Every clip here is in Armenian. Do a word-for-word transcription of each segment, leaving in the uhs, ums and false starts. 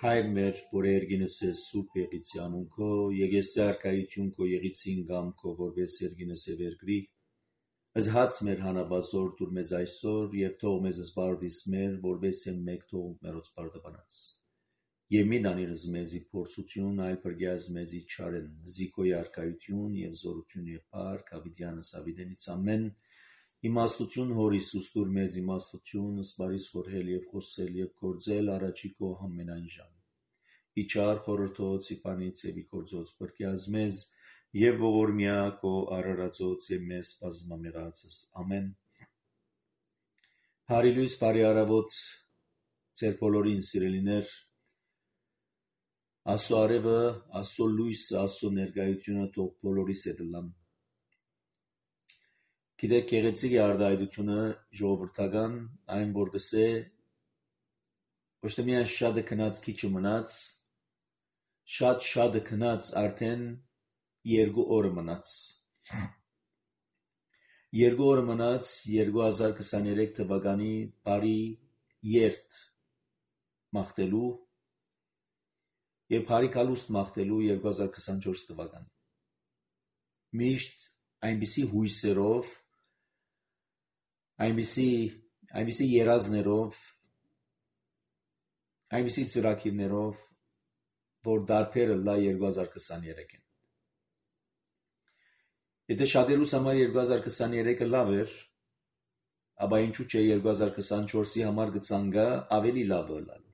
Հայր մեր, որ երգինս է սուրբ եղիցի անունքո, եղեսի արկայություն քո եղիցին գամ քո, որպես երգինս է վերգրի, զհաց մեր հանաբազոր դուր մեզ այսօր, և թող մեզ զբարդիս մեր, որպես եմ մեկ թողունք մերոց բարդաբանած։ Եվ մի դանիրս մեզի փորձություն, այլ պրգյազ մեզի չարեն, զիքոյի արկայություն և զորություն և պարք, ավիդյանս ավիդենից ամեն, իմաստություն հոր Հիսուս դուր մեզ իմաստություն, սպարիս խորհել և խոսել և գործել առաջի քո ամենայն ժամ։ Իչար խորհրդոց իպանից և իգործոց պրկյազ մեզ և ողորմյա քո արարածոց և մեզ բազմամեղացս։ Ամեն։ Բարի լույս, բարի առավոտ ձեր բոլորին սիրելիներ։ Աստծո արևը, Աստծո լույսը, Աստծո ներկայությունը թող բոլորիս հետ լան։ Գիտեք, գեղեցիկ է արտահայտությունը ժողովրդական, այն որ գսե ոչ թե միայն շատը քնած քիչը մնաց, շատ շատը քնած արդեն երկու օրը մնաց։ Երկու օրը մնաց երկու հազար քսաներեք թվականի բարի երթ մաղթելու և բարի գալուստ մաղթելու երկու հազար քսանչորս թվականին։ Միշտ այնպիսի հույսերով, այնպիսի այնպիսի երազներով, այնպիսի ծրագիրներով, որ դարբերը լա երկու հազար քսաներեքին։ Եթե շատերուս համար երկու հազար քսաներեքը լավ էր, ապա ինչու՞ չէ երկու հազար քսանչորսի համար կցանկա ավելի լավը լալու։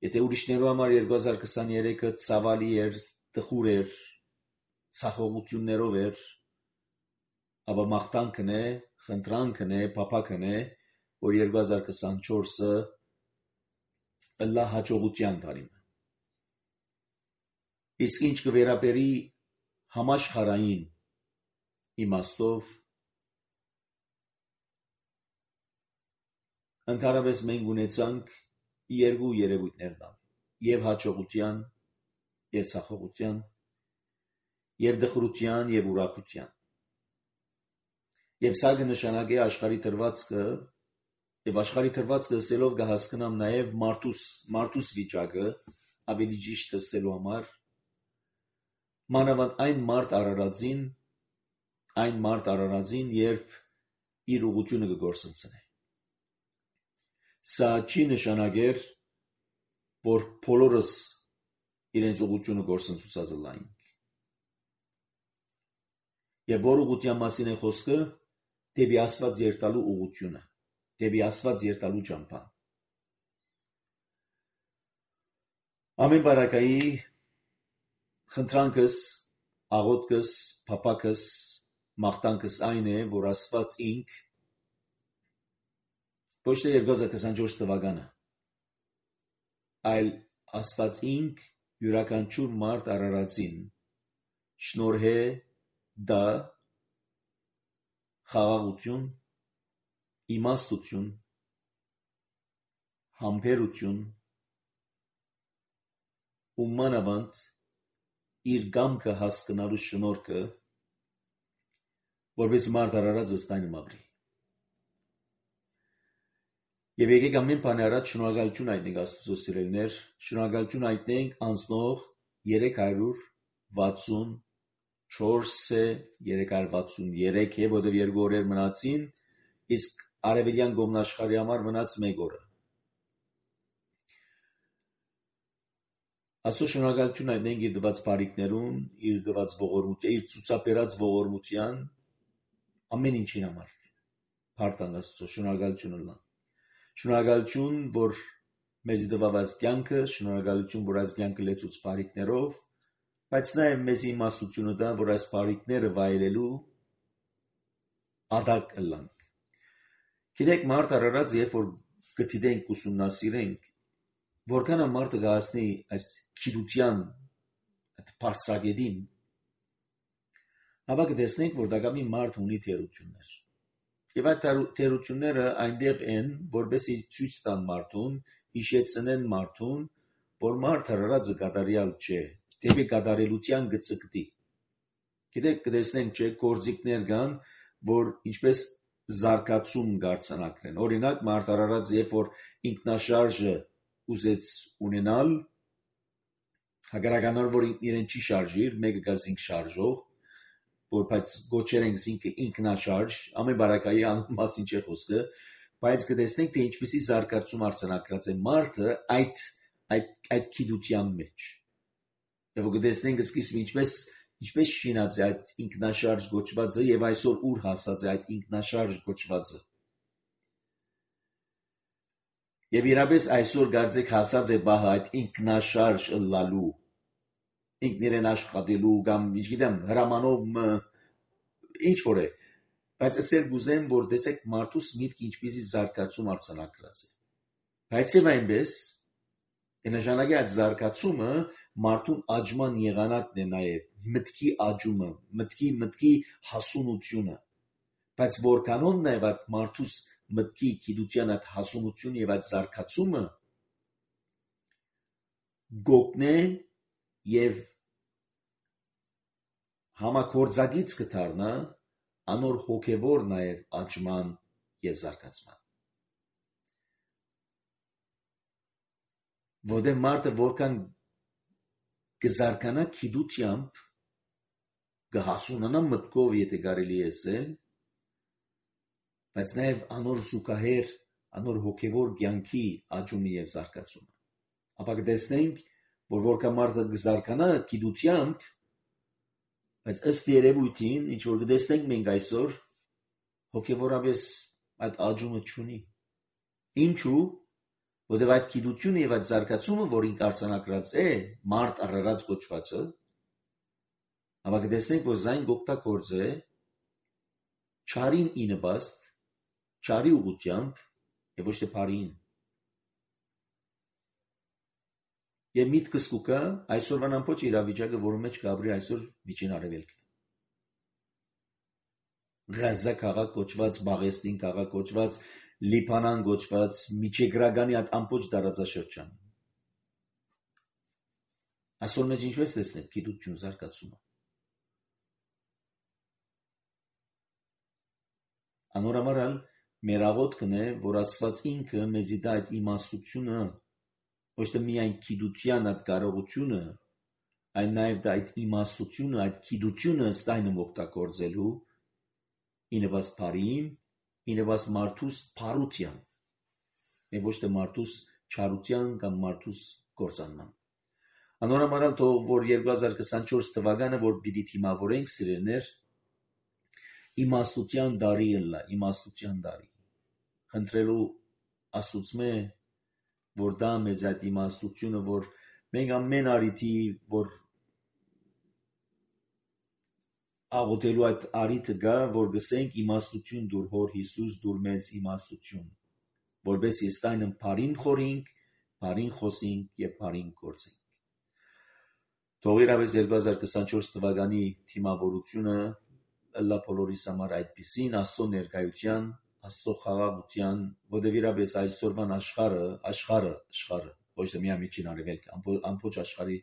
Եթե ուրիշներու համար երկու հազար քսաներեքը ցավալի էր, տխուր էր, ցախողություններով էր, ապա մաղթանքն է, խնդրանքն է, փափագն է, որ երկու հազար քսանչորսը լա հաջողության տարին։ Իսկ ինչ կվերաբերի համաշխարհային իմաստով, ընդհանրապես մենք ունեցանք երկու երևույթներ տան, և հաջողության, և ցախողության, և դխրության, և ուրախության։ Եվ սա կնշանակի աշխարհի դրվածքը, և աշխարհի դրվածքը ասելով կհասկանամ նաև մարդուս, մարդուս վիճակը, ավելի ճիշտ ասելու համար, մանավանդ այն մարդ արարածին, այն մարդ արարածին, երբ իր ուղղությունը կգործընծնի։ Սա չի նշանակեր, որ բոլորս իրենց ուղղությունը գործընծուցած լայնք։ Եվ որ ուղղության մասին է խոսքը, դեպի Աստված երթալու ուղղությունը, դեպի Աստված երթալու ճամփան։ Ամեն բարակայի խնդրանքս, աղոթքս, փափագս, մաղթանքս այն է, որ Աստված ինք ոչ թե երկու հազար քսանչորս թվականը, այլ Աստված ինք յուրաքանչյուր մարդ արարածին շնորհե դա խաղաղություն, իմաստություն, համբերություն ու մանավանդ իր կամքը հասկանալու շնորհքը, որպես մարդ արարածը ստայնը մաղրի։ Եվ եկեք ամեն բանի առաջ շնորհակալություն հայտնենք Աստծո սիրելիներ, շնորհակալություն հայտնենք անցնող երեք հարյուր վաթսուն չորս է, երեք հարյուր վաթսուն երեք է, որտեղ երկու օրեր մնացին, իսկ արևելյան կողմնաշխարհի համար մնաց մեկ օրը։ Աստծո շնորհակալություն հայտնենք իր տված բարիքներուն, իր տված ողորմության, իր ցուցաբերած ողորմության ամեն ինչի համար։ Փառք Աստծո, շնորհակալություն ունեմ։ Շնորհակալություն, որ մեզ տվավ այս կյանքը, շնորհակալություն, որ այս կյանքը լեցուց բարիքներով, բայց նաև մեզ իմաստությունը տա, որ այս բարիքները վայելելու ադակ ըլլանք։ Գիտեք, մարդ արարած, երբ որ գտիտենք, ուսումնասիրենք, որքան մարդը կհասնի այս գիտության բարձրագետին, ապա կտեսնենք, որ դակամի մարդ ունի թերություններ։ Եվ այդ թերությունները այնտեղ են, որպեսզի ցույց տան մարդուն, հիշեցնեն մարդուն, որ մարդ արարածը կատարյալ չէ, դեպի կատարելության կծգտի։ Գիտեք, կտեսնենք, չէ, գործիքներ կան, որ ինչպես զարգացում կարձանակրեն։ Օրինակ, մարդ արարած, երբ որ ինքնաշարժը ուզեց ունենալ, հակառականորեն որ իրեն չի շարժիր, մեկը գա զինք շարժող, որ բայց գոչեր ենք զինքը ինքնաշարժ, ամեն բարակայի անուն մասին չէ խոսքը, բայց կտեսնենք թե ինչպեսի զարգացում արձանագրած է մարդը այդ այդ այդ գիտության մեջ։ Եվ կտեսնենք սկիզբը ինչպես ինչպես շինած է այդ ինքնաշարժ գոչվածը եւ այսօր ուր հասած է այդ ինքնաշարժ գոչվածը։ Եվ իրապես այսօր գարձեք հասած է բահը այդ ինքնաշարժ ըլլալու, ինքն իրեն աշխատելու կամ չգիտեմ հրամանով ինչ որ է, բայց ասել գուզեմ որ տեսեք մարդուս միտքը ինչպեսի զարգացում արձանագրած է։ Բայց եւ այնպես նշանակի այդ զարգացումը մարդուն աճման եղանակն է նաեւ մտքի աճումը, մտքի մտքի հասունությունը, բայց որքանով նաեւ այդ մարդուս մտքի գիտության այդ հասունությունը եւ այդ զարգացումը գոգնե եւ համակորձագից կդառնա անոր հոգեվոր նաեւ աճման եւ զարգացման։ Որտեղ մարդը որքան կզարգանա գիտությամբ, կհասունանա մտքով, եթե կարելի է ասել, բայց նաև անոր զուգահեռ, անոր հոգևոր կյանքի աճումը եւ զարգացումը։ Ապա կտեսնենք, որ որքան մարդը կզարգանա գիտությամբ, բայց ըստ երևույթին, ինչ որ կտեսնենք մենք այսօր, հոգևորապես այդ աճումը չունի։ Ինչու՞։ Որտեղ այդ գիտությունը եւ այդ զարգացումը, որ ինք արձանագրած է, մարդ առարած կոչվածը, ապա կտեսնենք, որ զայն գոկտակորձ է, չարին ի նպաստ, չարի ուղղությամբ եւ ոչ թե բարին։ Եվ միտքս կուկա այսօրվան ամբողջ իրավիճակը, որի մեջ կապրի այսօր միջին արևելքը։ Գազա քաղաք կոչված, Բաղեստին քաղաք կոչված, Լիբանան կոչված, միջեգրագանի այդ ամբողջ տարածաշրջան։ Այսօր մեզ ինչպես տեսնենք գիտություն զարգացումը։ Անորամարալ մեր աղոթքն է, որ Աստված ինքը մեզի տա այդ իմաստությունը, ոչ թե միայն գիտության այդ կարողությունը, այլ նաև դա այդ իմաստությունը, այդ գիտությունը ստայնում օգտագործելու ի նպաստ բարին, ի նպաստ մարդուս փարության, եւ ոչ թե մարդուս չարության կամ մարդուս կործանման։ Անորամարալ թող որ երկու հազար քսանչորս թվականը, որ պիտի թիմավորենք սիրելիներ, իմաստության դարի ըլլա, իմաստության դարի։ Խնդրելու Աստուծմե, որ դա մեզ այդ իմաստությունը, որ մենք ամեն արիթի, որ աղոթելու այդ արիթը գա, որ գսենք իմաստություն դուր հոր Հիսուս դուր մեզ իմաստություն, որպես իստայնն բարին խորինք, բարին խոսինք եւ բարին գործենք։ Թող իրավես երկու հազար քսանչորս թվականի թիմավորությունը ըլլա բոլորիս համար այդպիսին Աստծո ներկայության, Աստծո խաղաղության, որտեղ իրապես այսօրվան աշխարհը, աշխարհը, աշխարհը, ոչ թե միայն միջին արևելքը, ամբողջ աշխարհի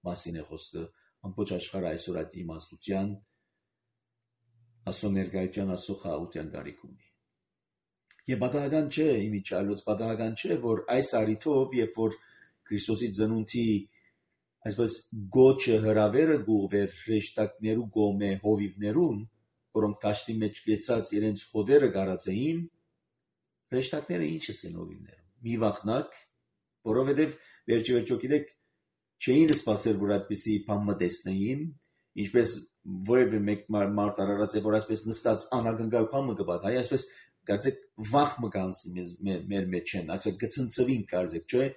մասին է խոսքը, ամբողջ աշխարհը այսօր այդ իմաստության, Աստծո ներկայության, Աստծո խաղաղության կարիք ունի։ Եվ պատահական չէ, իմիջալոց պատահական չէ, որ այս արիթով, երբ որ Քրիստոսի ծնունդի այսպես գոչը հրավերը գուղվեր հրեշտակներու գոմե հովիվներուն, որոնք դաշտի մեջ գեցած իրենց հոդերը գարացեին, հրեշտակները ինչ են հովիվները։ Մի վախնակ, որովհետև վերջի վերջո գիտեք, չէին սպասել, որ այդպիսի բան տեսնեին, ինչպես որևէ մեկ մարդ արարած է, որ այսպես նստած անակնկալ բան կպատ, հայ այսպես կարծեք վախ մկանցի մեր մեջ են, այսպես գցնցվին կարծեք, չէ՞։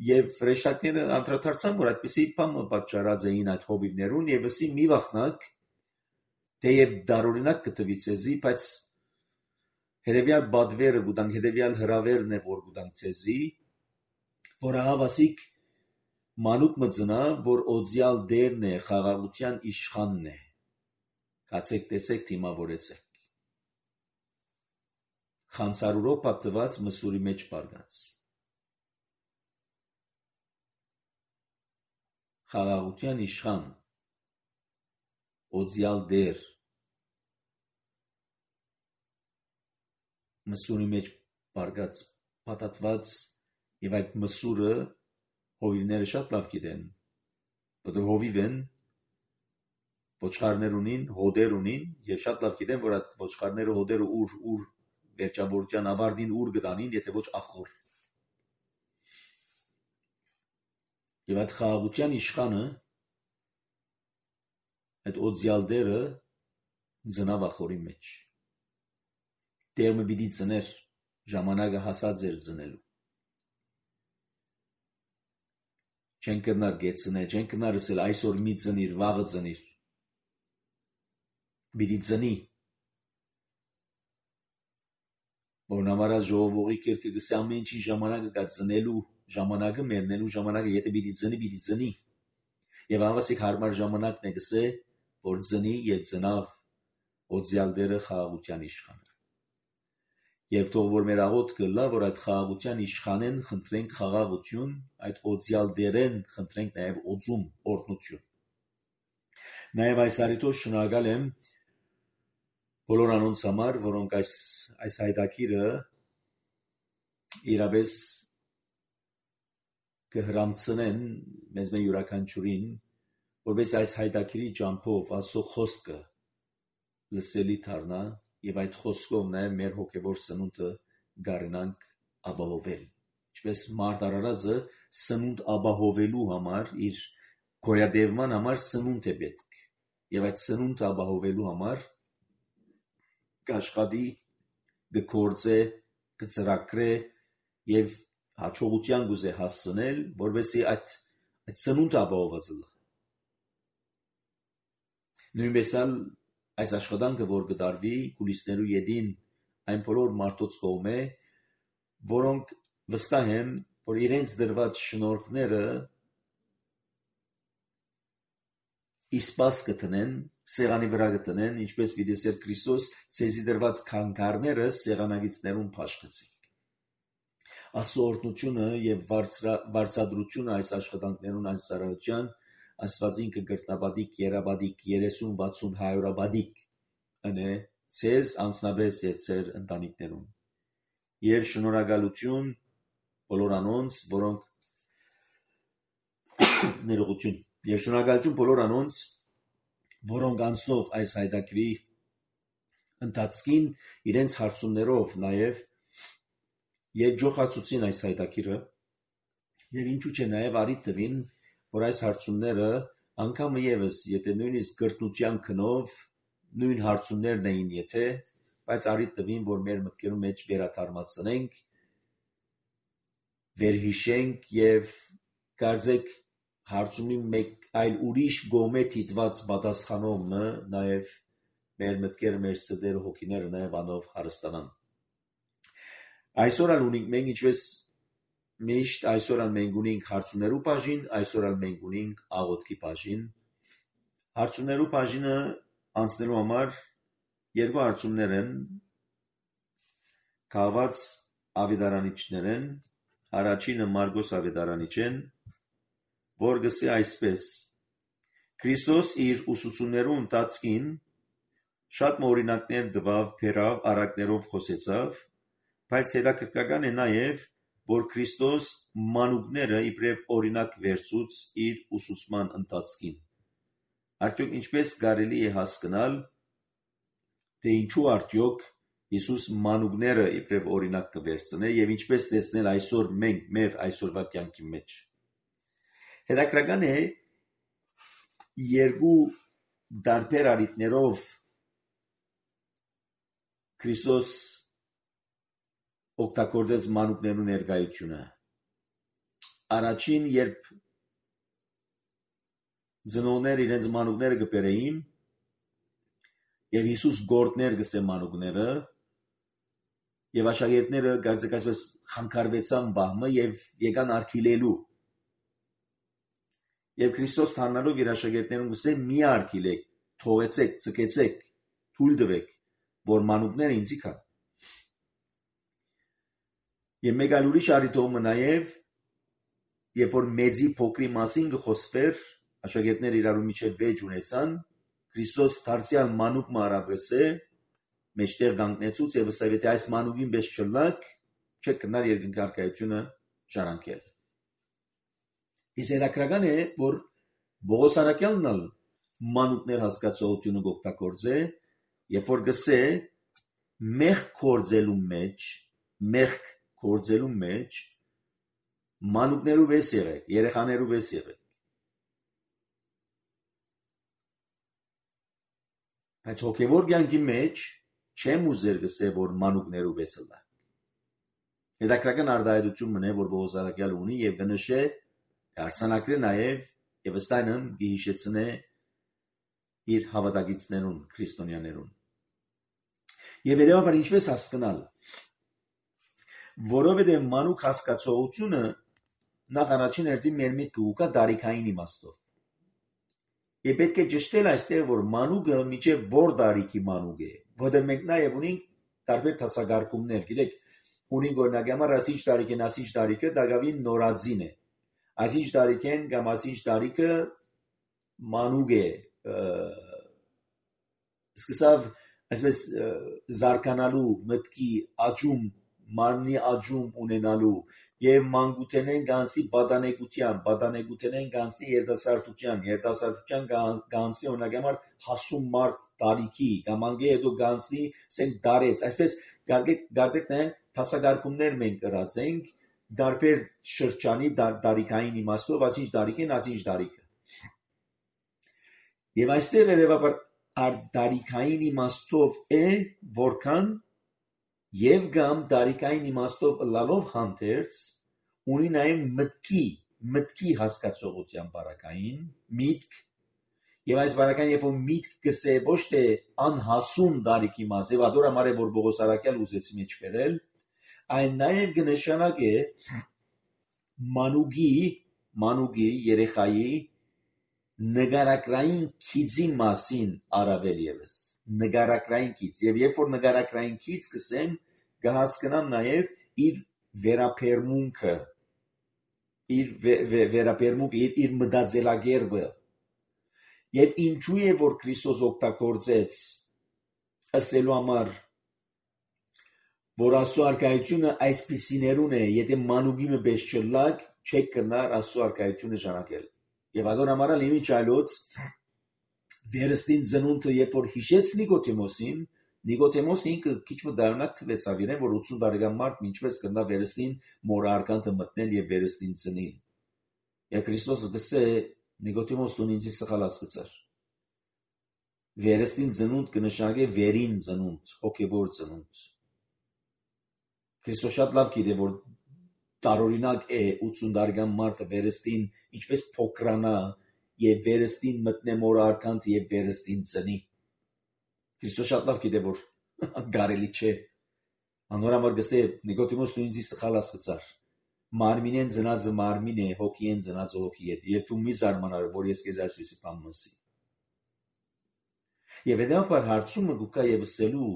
Եվ հրեշտակները անդրադարձան, որ այդպիսի բան պատճառած էին այդ հովիվներուն, եւ ասի մի վախնակ, թեև դարօրինակ կտվի ցեզի, բայց հետեւյալ բադվերը գուտանք, հետեւյալ հրավերն է, որ գուտանք ցեզի, որ հավասիկ մանուկ մծնա, որ օձյալ դերն է, խաղաղության իշխանն է։ Կացեք տեսեք թիմավորեցեք։ Խանցարուրով պատված մսուրի մեջ բարգած։ Խաղաղության իշխան, օձյալ դեր, մսուրի մեջ բարգած, պատատված Եվ այդ մսուրը հովիվները շատ լավ գիտեն, որտեղ հովիվ են, ոչխարներ ունին, հոդեր ունին, եւ շատ լավ գիտեն, որ այդ ոչխարները հոդերը ուր ուր վերջավորության ավարտին ուր գտանին, եթե ոչ ախոր։ Եվ այդ խաղաղության իշխանը, այդ օձյալդերը ծնավ ախորի մեջ։ Տերը պիտի ծներ, ժամանակը հասած էր ծնելու։ Չեն կրնար գեցնել, չեն կրնար ասել այսօր մի ծնիր, վաղը ծնիր։ Պիտի ծնի։ Որն համար ժողովողի կերկը գսե ամեն ինչի ժամանակը կա ծնելու, ժամանակը մեռնելու ժամանակը, եթե պիտի ծնի, պիտի ծնի։ Եվ ավասիկ հարմար ժամանակն է գսե, որ ծնի եւ ծնավ օձյալդերը խաղաղության իշխանը։ Եվ թող որ մեր աղոթքը լա, որ այդ խաղաղության իշխանեն խնդրենք խաղաղություն, այդ օձյալդերեն խնդրենք նաև օձում, օրհնություն։ Նաև այս առիթով շնորհակալ եմ բոլոր անոնց համար, որոնք այս այս հայտակիրը իրապես կհրամցնեն մեզ մեր յուրաքանչյուրին, որպես այս հայտակիրի ճամփով Աստծո խոսքը լսելի դառնա եւ այդ խոսքով նաև մեր հոգեվոր սնունդը գարենանք ապահովել։ Ինչպես մարդ արարածը սնունդ ապահովելու համար իր գոյատևման համար սնունդ է պետք։ Եվ այդ սնունդը ապահովելու համար կաշխատի, կգործե, կծրագրե եւ հաջողության գուզե հասցնել, որովհետեւ այդ այդ սնունդը ապահոված է։ Նույնպես այս աշխատանքը, որ կդարվի կուլիսներու ետին այն բոլոր մարդոց կողմէ, որոնք վստահ են, որ իրենց դրված շնորհքները իսպաս կտնեն, սեղանի վրա կտնեն, ինչպես վիդեսեր Քրիստոս ցեզի դրված քանքարները սեղանագիծներուն փաշխեցին։ Աստծո օրհնությունը եւ վարձատրությունը այս աշխատանքներուն այս ծառայության Աստվածին կգրտնապատիկ, երապատիկ, երեսուն, վաթսուն, հայորապատիկ ընե ցեզ անձնապես եւ ցեր ընտանիքներուն։ Եվ շնորհակալություն բոլոր անոնց, որոնք ներողություն, եւ շնորհակալություն բոլոր անոնց, որոնք անցնող այս հայտակրի ընթացքին իրենց հարցումներով նաեւ երջոխացուցին այս հայտակիրը եւ ինչու՞ չէ նաեւ արիթ տվին, որ այս հարցումները անգամ եւս եթե նույնիսկ գրտնության քնով նույն հարցումներն էին եթե, բայց արիթ տվին, որ մեր մտքերում մեջ վերաթարմացնենք, վերհիշենք եւ կարծեք հարցումի մեկ այլ ուրիշ գոմե դիտված պատասխանողը նաեւ մեր մտքերը, մեր սրտերը, հոգիները նաեւ անով հարստանան։ Այսօր ալ ունենք մենք ինչպես միշտ այսօր ալ մենք ունենք հարցումներու բաժին, այսօր ալ մենք ունենք աղոթքի բաժին։ Հարցումներու բաժինը անցնելու համար երկու հարցումներ են կաված ավետարանիչներ են, առաջինը Մարգոս ավետարանիչ են, որ գսե այսպես. Քրիստոս իր ուսուցումներու ընթացքին շատ օրինակներ տվավ, բերավ, առակներով խոսեցավ, բայց հետաքրքրական է նաև, որ Քրիստոս մանուկները իբրև օրինակ վերցուց իր ուսուցման ընթացքին։ Արդյոք ինչպես կարելի է հասկանալ, թե ինչու արդյոք Հիսուս մանուկները իբրև օրինակ կվերցնե եւ ինչպես տեսնել այսօր մենք մեր այսօրվա կյանքի մեջ։ Հետաքրքրական է երկու դարբեր առիթներով Քրիստոս օգտագործեց մանուկներու ներկայությունը։ Առաջին, երբ ծնողներ իրենց մանուկները կբերեին եւ Հիսուս գործներ գսե մանուկները եւ աշակերտները կարծեք այսպես խանգարվեցան բահմը եւ եկան արգիլելու եւ Քրիստոս թանալով իր աշակերտներուն գսե մի արգիլեք, թողեցեք, ցկեցեք, թույլ տվեք, որ մանուկները ինձի կան։ Եվ մեկ այլ ուրիշ առիթով նաեւ երբ որ մեծի փոքրի մասին կխոսվեր, աշակերտները իրարու միջև վեճ ունեցան, Քրիստոս դարձյալ մանուկ մարավեսե մեջտեղ կանգնեցուց եւ ասավ, եթե այս մանուկին պես չլնաք, չեք կնար երկնքարքայությունը ժառանգել։ Իսկ հետաքրքրական է, որ Պողոս առաքյալն էլ մանուկներ հասկացողությունը օգտագործե, երբ որ գսե մեղք գործելու մեջ, մեղք գործելու մեջ մանուկներու վես եղեք, երեխաներու վես եղեք։ Բայց հոգևոր կյանքի մեջ չեմ ուզեր գսե, որ մանուկներու վես ըլլա։ Հետաքրքրական արտահայտություն մնե, որ Պողոս առաքյալը ունի եւ կնշե արձանագրե նաեւ եւ ըստայնմ գիհիշեցնե իր հավատակիցներուն, քրիստոնյաներուն։ Եվ հետևաբար ինչպես հասկանալ, որովհետև մանուկ հասկացողությունը նախ առաջին հերթին մեր միտքը ուկա տարիքային իմաստով։ Եվ պետք է ճշտել այստեղ, որ մանուկը միջև որ տարիքի մանուկ է, որտեղ մենք նաև ունենք տարբեր դասակարգումներ, գիտեք, ունենք օրինակ համար ասիչ տարիքեն, ասիչ տարիքը դակավին նորածին է, ասիչ տարիքեն կամ ասիչ տարիքը մանուկ է, սկսավ այսպես զարգանալու մտքի աճում, մարմնի աճում ունենալու եւ մանկութենեն գանցի պատանեկության, պատանեկութենեն գանցի երիտասարդության, երիտասարդության գանցի օրինակ համար հասուն մարդ տարիքի, կամ անգե հետո գանցի սենք դարեց, այսպես գարձեք նայենք դասակարգումներ մենք կրած ենք տարբեր շրջանի տարիքային իմաստով, ասինչ տարիքին, ասինչ տարիքը։ Եվ այստեղ երևաբար տարիքային իմաստով է, որքան եւ կամ տարիքային իմաստով լալով հանդերձ ունի նաեւ մտքի, մտքի հասկացողության բարակային, միտք, եւ այս բարակային երբ որ միտք գսե ոչ թե անհասուն տարիքի մաս, եւ ադոր համար է որ Պողոս առաքյալը ուզեցի մեջ բերել, այն նաեւ կնշանակե մանուկի, մանուկի երեխայի նգարակրային քիծի մասին առավել եւս, նգարակրային քիծ, եւ երբ որ նգարակրային քիծ կսեմ, կհասկանամ նաեւ իր վերապերմունքը, իր վերապերմունքը, իր, իր մտածելակերպը, եւ ինչու է որ Քրիստոս օգտագործեց ասելու համար, որ Աստծո արքայությունը այսպիսիներուն է, եթե մանուկի մպես չլակ, չեք կնար Աստծո արքայությունը ժառանգել։ Եվ ադոր համար ալ իմիջ այլոց վերստին ծնունդը երբ որ հիշեց Նիկոդեմոսին, Նիկոդեմոսը ինքը քիչ մը դարունակ թվեց ավիրեն, որ ութսուն տարեկան մարդ ինչպես կնա վերստին մոր արկանտը մտնել եւ վերստին ծնին։ Եվ Քրիստոսը գսե Նիկոդեմոս դու ինձ սխալ ասացար։ Վերստին ծնունդ կնշանակե վերին ծնունդ, հոգևոր ծնունդ։ Քրիստոս շատ լավ գիտե որ տարօրինակ է ութսուն տարեկան մարդը վերստին ինչպես փոքրանա եւ վերստին մտնե մոր արկանտ եւ վերստին ծնի։ Քրիստոս շատ լավ գիտե որ գարելի չէ։ Անորամար գսե Նիկոդեմոս դու ինձ սխալ ասացար։ Մարմինեն ծնածը մարմին է, հոգիեն ծնածը հոգի է։ Եվ դու մի զարմանար որ ես քեզ այսպեսի բան մսի։ Եվ հետո հարցումը գուկա եւ ասելու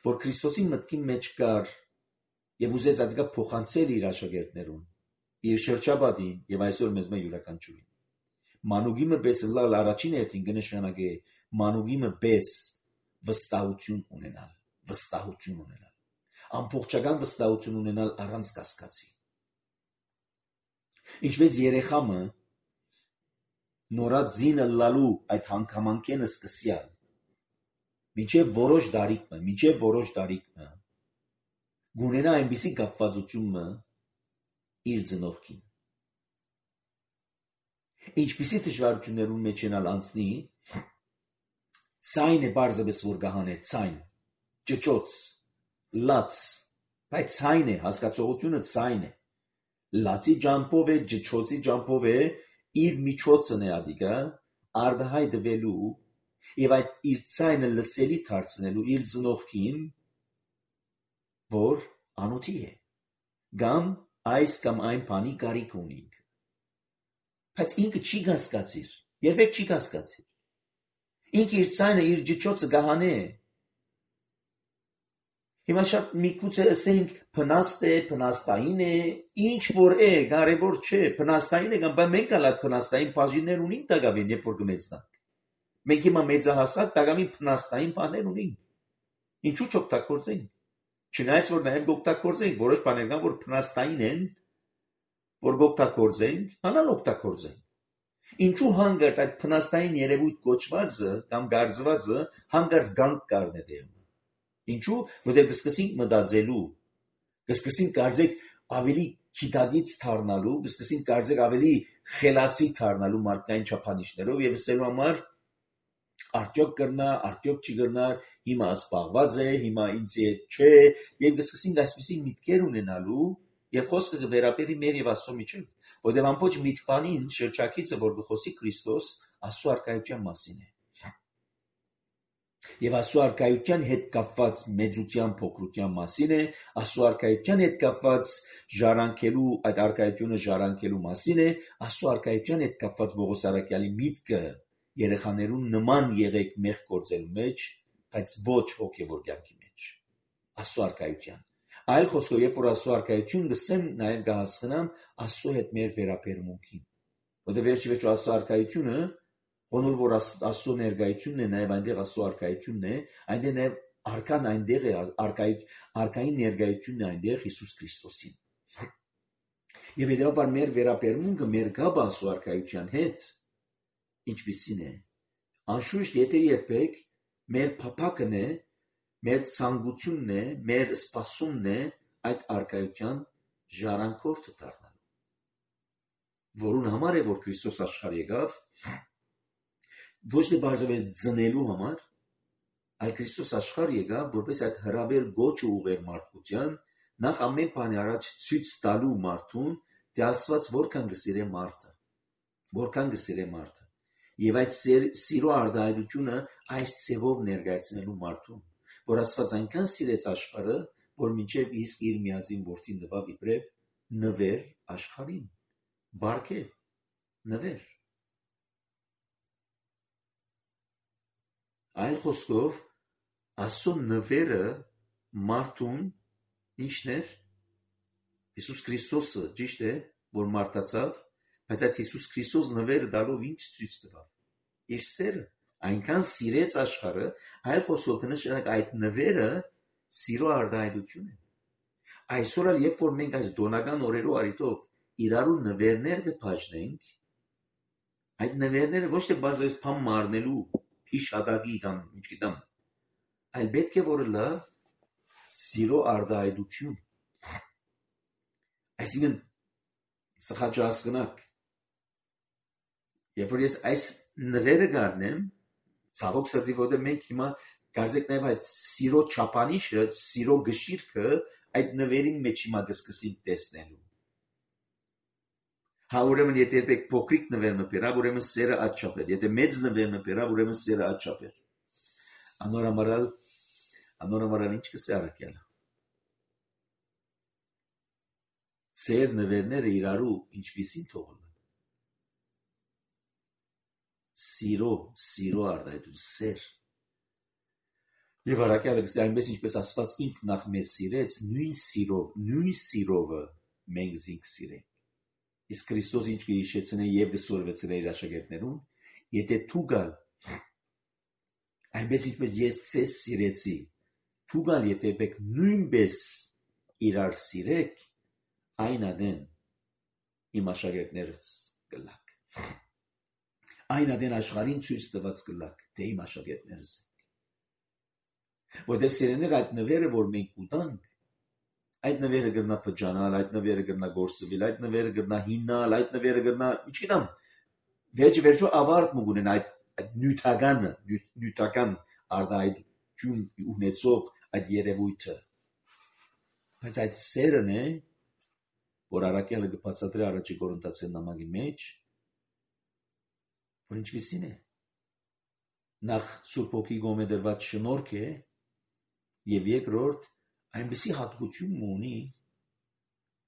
որ Քրիստոսի մտքի մեջ կար եւ ուզեց ադկա փոխանցել իր աշակերտներուն, իր շրջապատին եւ այսօր մեզ մե յուրաքանչյուրին։ Մանուկի մպես լալ առաջին հերթին կնշանակե մանուկի մպես վստահություն ունենալ, վստահություն ունենալ, ամբողջական վստահություն ունենալ առանց կասկածի։ Ինչպես երեխամը նորած զինը լալու այդ հանգամանքենը սկսյալ, մինչև որոշ դարիք մը, մինչև որոշ դարիք մը, գունենա այնպիսի կապվածությունը իր ծնողքին։ Ինչպիսի դժվարություններուն մեջ ենալ անցնի, ցայն է բարձրապես որ գահանե, ցայն, ճճոց, լաց, բայց ցայն է, հասկացողությունը ցայն է, լացի ջամփով է, ճճոցի ջամփով է, իր միջոցն է ադիկա, արդահայտվելու եւ այդ իր ցայնը լսելի դարձնելու իր ծնողքին, որ անոթի է, կամ այս կամ այն բանի կարիք ունի։ Բայց ինքը չի հասկացիր, երբեք չի հասկացիր։ Ինքը իր ցայնը, իր ջիջոցը գահանե է։ Հիմա շատ միգուցե ասենք փնաստ է, փնաստային է, ինչ որ է, կարևոր չէ, փնաստային է կամ բայց մենք ալ այդ փնաստային բաժիններ ունենք դակավին, երբ որ կմեծնանք։ Մենք հիմա մեծահասակ դակավին փնաստային բաներ ունենք։ Ինչու չօգտագործենք։ Չնայած որ նաև օգտագործենք որոշ բաներ կան, որ փնաստային են, որ գօգտագործենք, հանալ օգտագործենք։ Ինչու հանգարց այդ փնաստային երևույթ կոչվածը կամ գարձվածը հանգարց գանք կառնե դեմ։ Ինչու, որտեղ կսկսենք մտածելու, կսկսենք կարծեք ավելի քիթագից դառնալու, կսկսենք կարծեք ավելի խելացի դառնալու մարդկային չափանիշներով եւ ասելու համար արդյոք կրնա, արդյոք չի կրնա, հիմա սպաղված է, հիմա ինձ հետ չէ, եւ կսկսենք այսպիսի միտքեր ունենալու եւ խոսքը կվերապերի մեր եւ Աստծո միջեւ, որտեղ ամբողջ միտքանին շրջակիցը, որ կխոսի Քրիստոս, Աստծո արքայության մասին է։ Եվ Աստծո արքայության հետ կապված մեծության փոքրության մասին է, Աստծո արքայության հետ կապված ժառանգելու, այդ արքայությունը ժառանգելու մասին է, Աստծո արքայության հետ կապված Պողոս առաքյալի միտքը երեխաներուն նման եղեք մեղ գործելու մեջ, բայց ոչ հոգևոր կյանքի մեջ։ Աստծո արքայության։ Այլ խոսքով, երբ որ Աստծո արքայություն գսեմ, նաև կհասկանամ Աստծո հետ մեր վերաբերմունքին։ Որտեղ վերջի վերջո Աստծո արքայությունը Ոնոր որ Աստծո ներկայությունն է, նաև այնտեղ Աստծո արքայությունն է, այնտեղ նաև արքան այնտեղ է, արքային ներկայությունն է այնտեղ Հիսուս Քրիստոսին։ Եվ հետևաբար մեր վերաբերմունքը մեր գաբը Աստծո արքայության հետ ինչպիսին է։ Անշուշտ եթե երբեք մեր փափակն է, մեր ցանկությունն է, մեր սպասումն է այդ արքայության ժառանգորդը դառնալու։ Որուն համար է որ Քրիստոս աշխարհ եկավ, ոչ թե բարձրապես ծնելու համար, այլ Քրիստոս աշխարհ եկավ, որպես այդ հրավեր գոչը ուղեր մարդկության, նախ ամեն բանի առաջ ցույց տալու մարդուն, թե Աստված որքան կսիրե մարդը, որքան կսիրե մարդը, եւ այդ սիրո արտահայտությունը այս ցևով ներկայացնելու մարդուն, որ Աստված այնքան սիրեց աշխարհը, որ մինչև իսկ իր միածին որդին տվավ իբրև նվեր աշխարհին, բարգև նվեր։ Այլ խոսքով, Աստծո նվերը մարդուն ինչն էր։ Հիսուս Քրիստոսը, ճիշտ է, որ մարդացավ, բայց այդ Հիսուս Քրիստոս նվերը դալով ինչ ցույց տվավ։ Իր սերը, այնքան սիրեց աշխարհը, այլ խոսքով կնշանակի այդ նվերը սիրո արտահայտություն է։ Այսօր էլ երբ որ մենք այս դոնական օրերու արիտով իրարու նվերներ կփաժնենք, այդ նվերները ոչ թե բարձրապես փամ մարնելու հիշադակի կամ ինչ գիտեմ, այլ պետք է որ լա սիրո արտահայտություն։ Այսինքն սխաճասկնակ, երբ որ ես այս նվերը գարնեմ, ցավոք սրտի որտեղ մենք հիմա կարծեք նաև այդ սիրո չափանիշը, սիրո գշիրքը այդ նվերի մեջ հիմա կսկսենք տեսնելու։ Հա ուրեմն եթե երբեք փոքրիկ նվեր մպերա, ուրեմն սերը աչափեր, եթե մեծ նվեր մպերա, ուրեմն սերը աչափեր։ Անորամարալ, անորամարալ ինչ կսե առաքյալը։ Սեր նվերները իրարու ինչպիսին թողնեն։ Սիրո, սիրո արտահայտություն, սեր։ Եվ առաքյալը կսե այնպես ինչպես Աստված ինքն նախ մեզ սիրեց, նույն սիրով, նույն սիրովը մենք զինք սիրենք։ Իսկ Քրիստոս ինչ կհիշեցնե եւ կսորվեցնե իր աշակերտներուն, եթե դու գալ, այնպես ինչպես ես ցես սիրեցի, դու գալ եթե եք նույնպես իրար սիրեք, այն adեն իմ աշակերտներս կլակ։ Այն adեն աշխարհին ցույց տված կլակ, թե իմ աշակերտներս եք։ Որտեղ սիրեներ այդ նվերը, որ մենք ուտանք, այդ նվերը գրնա փճանալ, այդ նվերը գրնա գործվել, այդ նվերը գրնա հինալ, այդ նվերը գրնա, ինչգիտեմ, վերջի վերջո ավարտ մուգունեն այդ նյութական, նյութական արտահայտություն ունեցող այդ երևույթը։ Բայց այդ սերն է, որ առաքյալը կբացատրի առաջի Կորինթացիներ նամակի մեջ, որ ինչպիսին է։ Նախ Սուրբ Հոգի գոմե դրված շնորհք է, եւ երկրորդ այնպիսի հատկություն ունի,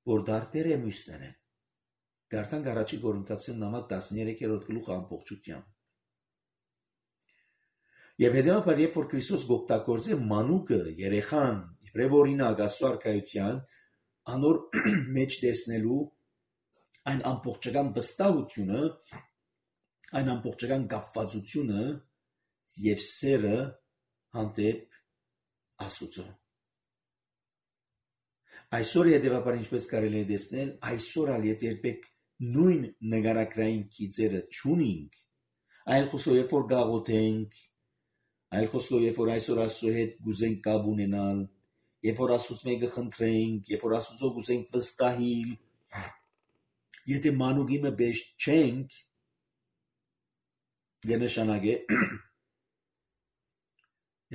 որ դարբեր է մյուսները։ Գարտանք առաջի Կորինթացիներ նամակ տասներեքերորդ գլուխ ամբողջությամբ։ Եվ հետևաբար երբ որ Քրիստոս գօգտագործե մանուկը, երեխան, իբրև օրինակ Աստծո արքայության, անոր մեջ տեսնելու այն ամբողջական վստահությունը, այն ամբողջական կապվածությունը եւ սերը հանդեպ Աստծո։ Այսօր հետևաբար ինչպես կարելի է տեսնել, այսօր ալ եթե երբեք նույն նկարագրային գիծերը չունենք, այլ խոսքով երբ որ գաղութենք, այլ խոսքով երբ որ այսօր Աստծո հետ գուզենք կապ ունենալ, երբ որ Աստծուց մեկը խնդրենք, երբ որ Աստծո գուզենք վստահիլ, եթե մանուկի մը բեշ չենք, գնշանագե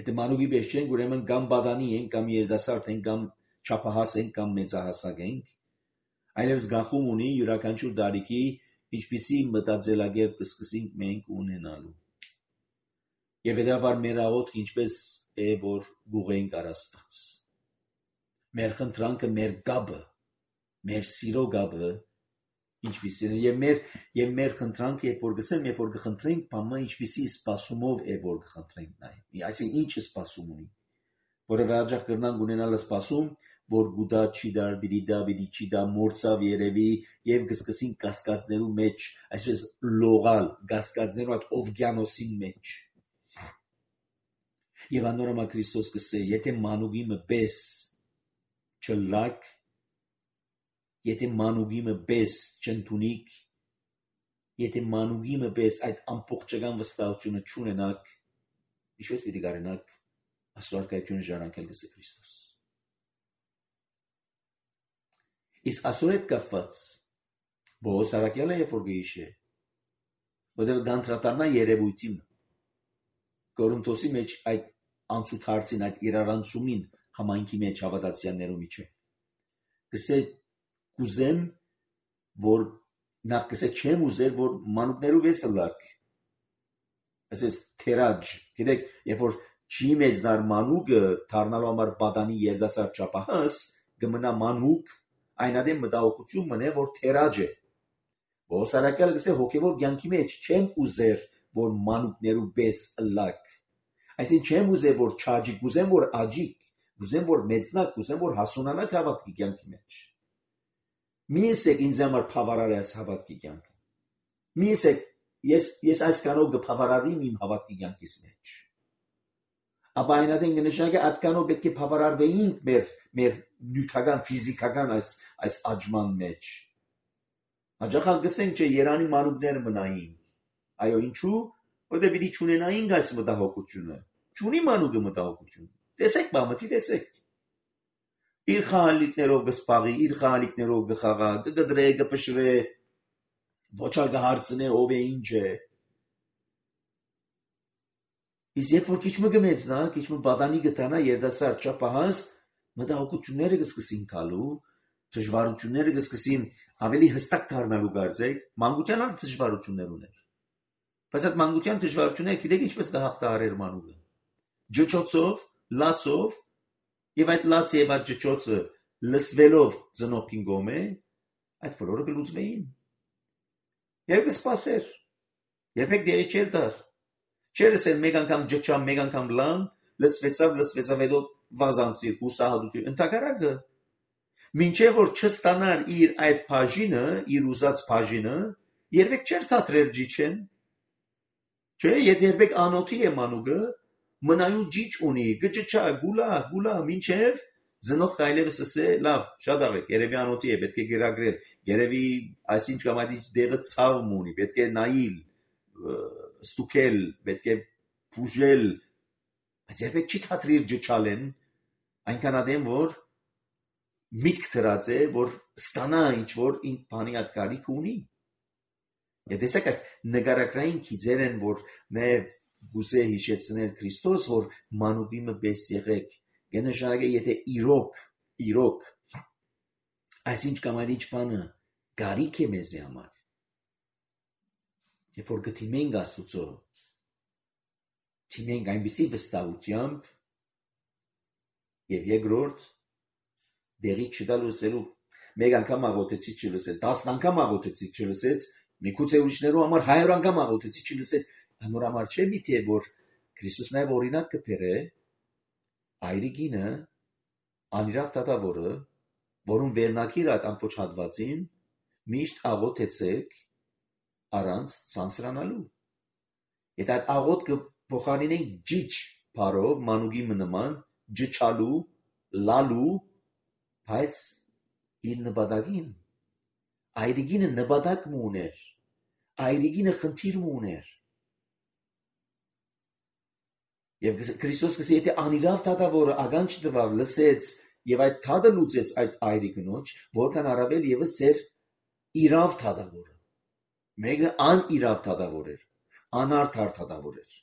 եթե մանուկի բեշ չենք, ուրեմն կամ բադանի ենք, կամ երիտասարդ ենք, կամ չափահաս ենք, կամ մեծահասակ ենք, այլևս գախում ունի յուրաքանչյուր տարիքի ինչպիսի մտածելակերպ կսկսենք մենք ունենալու։ Եվ հետաբար մեր աղոթքը ինչպես է, որ գուղենք առ Աստված։ Մեր խնդրանքը, մեր գաբը, մեր սիրո գաբը ինչպիսին է, եւ մեր եւ մեր խնդրանքը, երբ որ գսեմ, երբ որ կխնդրենք, բամը ինչպիսի սպասումով է, որ կխնդրենք նայ։ Այսինքն ինչ սպասում ունի, որը հաջող կրնանք ունենալ սպասում, որ գուտա չի դար, բիդի դա, բիդի չի դա, մորցավ երևի եւ կսկսին կասկածներու մեջ, այսպես լողալ, կասկածներու այդ օվկիանոսին մեջ։ Եվ անորոմա Քրիստոս կսե, եթե մանուկի մը պես չլակ, եթե մանուկի մը պես չընդունիք, եթե մանուկի մը պես այդ ամբողջական վստահությունը չունենաք, ինչպես պիտի կարենաք Աստծո արքայությունը ժառանգել գսե Քրիստոս։ Իսկ այսօր հետ կապված Պողոս առաքյալը երբ որ գիշե, որտեղ գանտրատարնա երևույթին Կորինթոսի մեջ այդ անցուդարձին, այդ իրարանցումին համայնքի մեջ հավատացյալներու միջև գսե կուզեմ, որ նախ գսե չեմ ուզել, որ մանուկներու վեսը լակ, այսպես թերաջ, գիտեք, երբ որ չի մեծնար մանուկը դառնալու համար բադանի երդասար չափահաս, կմնա մանուկ, այնադեմ մտահոգություն մնե, որ թերաջ է։ Պողոս առաքյալը գսե հոգևոր կյանքի մեջ չեմ ուզեր, որ մանուկներու պես լակ, այսինքն չեմ ուզեր, որ չաջիկ, ուզեմ, որ աջիկ, ուզեմ, որ մեծնակ, ուզեմ, որ հասունանակ հավատքի կյանքի մեջ։ Մի եսեք ինձ համար փավարար ես հավատքի կյանքը։ Մի եսեք, ես ես այս կանով կփավարարվեմ իմ հավատքի կյանքից մեջ։ Ապա այնադեն կնշանակի այդ կանով պետք է փավարարվեինք մեր մեր նյութական, ֆիզիկական այս այս աճման մեջ։ Հաջախալ գսենք, չէ, Երանի մանուկները մնային։ Այո, ինչու՞։ Որտեղ պիտի չունենայինք այս մտահոգությունը։ Չունի մանուկը մտահոգություն։ Տեսեք, բամտի տեսեք։ Իր խաղալիքներով կսպաղի, իր խաղալիքներով կխաղա, կգդրե, կփշրե, ոչալ կհարցնե ով է ինչ է։ Իսկ երբ որ քիչ մը կմեծնա, քիչ մը բադանի կտանա երդասար չափահաս, մտահոգությունները կսկսին գալու, դժվարությունները կսկսին ավելի հստակ դառնալու կարծեք, մանկության ալ դժվարություններ ուներ։ Բայց այդ մանկության դժվարությունները գիտեք ինչպես կհաղթահարեր մանուկը։ Ջոջոցով, լացով, եւ այդ լաց եւ այդ ջոջոցը լսվելով ծնողքին գոմե, այդ բոլորը կլուծվեին։ Եվ կսպասեր։ Երբեք դերի չէր դար։ Չէր ասել մեկ անգամ ջջա, մեկ անգամ լան, լսվեցավ, լսվեցավ հետո վազանցիր, հուսահատություն, ընդհակառակը։ Մինչև որ չստանար իր այդ բաժինը, իր ուզած բաժինը, երբեք չէր թատրեր ջիչեն։ Չէ, եթե երբեք անոթի է մանուկը, մնայուն ջիչ ունի, գճչա, գուլա, գուլա, մինչև ծնող այլևս ասե, լավ, շատ աղեք, երևի անոթի է, պետք է գերագրել, երևի այսինչ կամ այդ դեղը ցավ ունի, պետք է նայիլ, ստուքել, պետք է բուժել, բայց երբեք չի թատրիր ջչալեն, այնքան ադեմ, որ միտք դրած է, որ ստանա ինչ-որ ինչ բանի այդ կարիք ունի։ Եվ տեսեք այս նկարագրային քիծեր են, որ նաև գուզե հիշեցնել Քրիստոս, որ մանուկի մը պես եղեք, կնշանակե եթե իրոք, իրոք, այսինչ կամ այդ ինչ բանը կարիք է մեզի համար, երբ որ գտիմենք Աստուծո, թիմենք այնպիսի վստահությամբ և երկրորդ դեղի չտալու սերու մեկ անգամ աղոթեցի չլսեց, տասն անգամ աղոթեցի չլսեց, միգուցե ուրիշներու համար հայր անգամ աղոթեցի չլսեց, անոր համար չէ միթե որ Քրիստոս նաև օրինակ կբերե այրիկինը անիրավ դատավորը, որում վերնակիր այդ ամբողջ հատվածին միշտ աղոթեցեք առանց սանսրանալու։ Եթե այդ աղոթքը փոխարինենք ջիչ բառով մանուկի նման ջչալու, լալու, բայց իր նպատակին այրիգինը նպատակ ուներ, այրիգինը խնդիր ուներ։ Եվ Քրիստոս կսի եթե անիրավ դատավորը ականջ տվավ, լսեց եւ այդ դատը լուծեց այդ այրիգնոջ, որքան առավել եւս ձեր իրավ դատավորը։ Մեկը անիրավ դատավոր էր, անարդար դատավոր էր։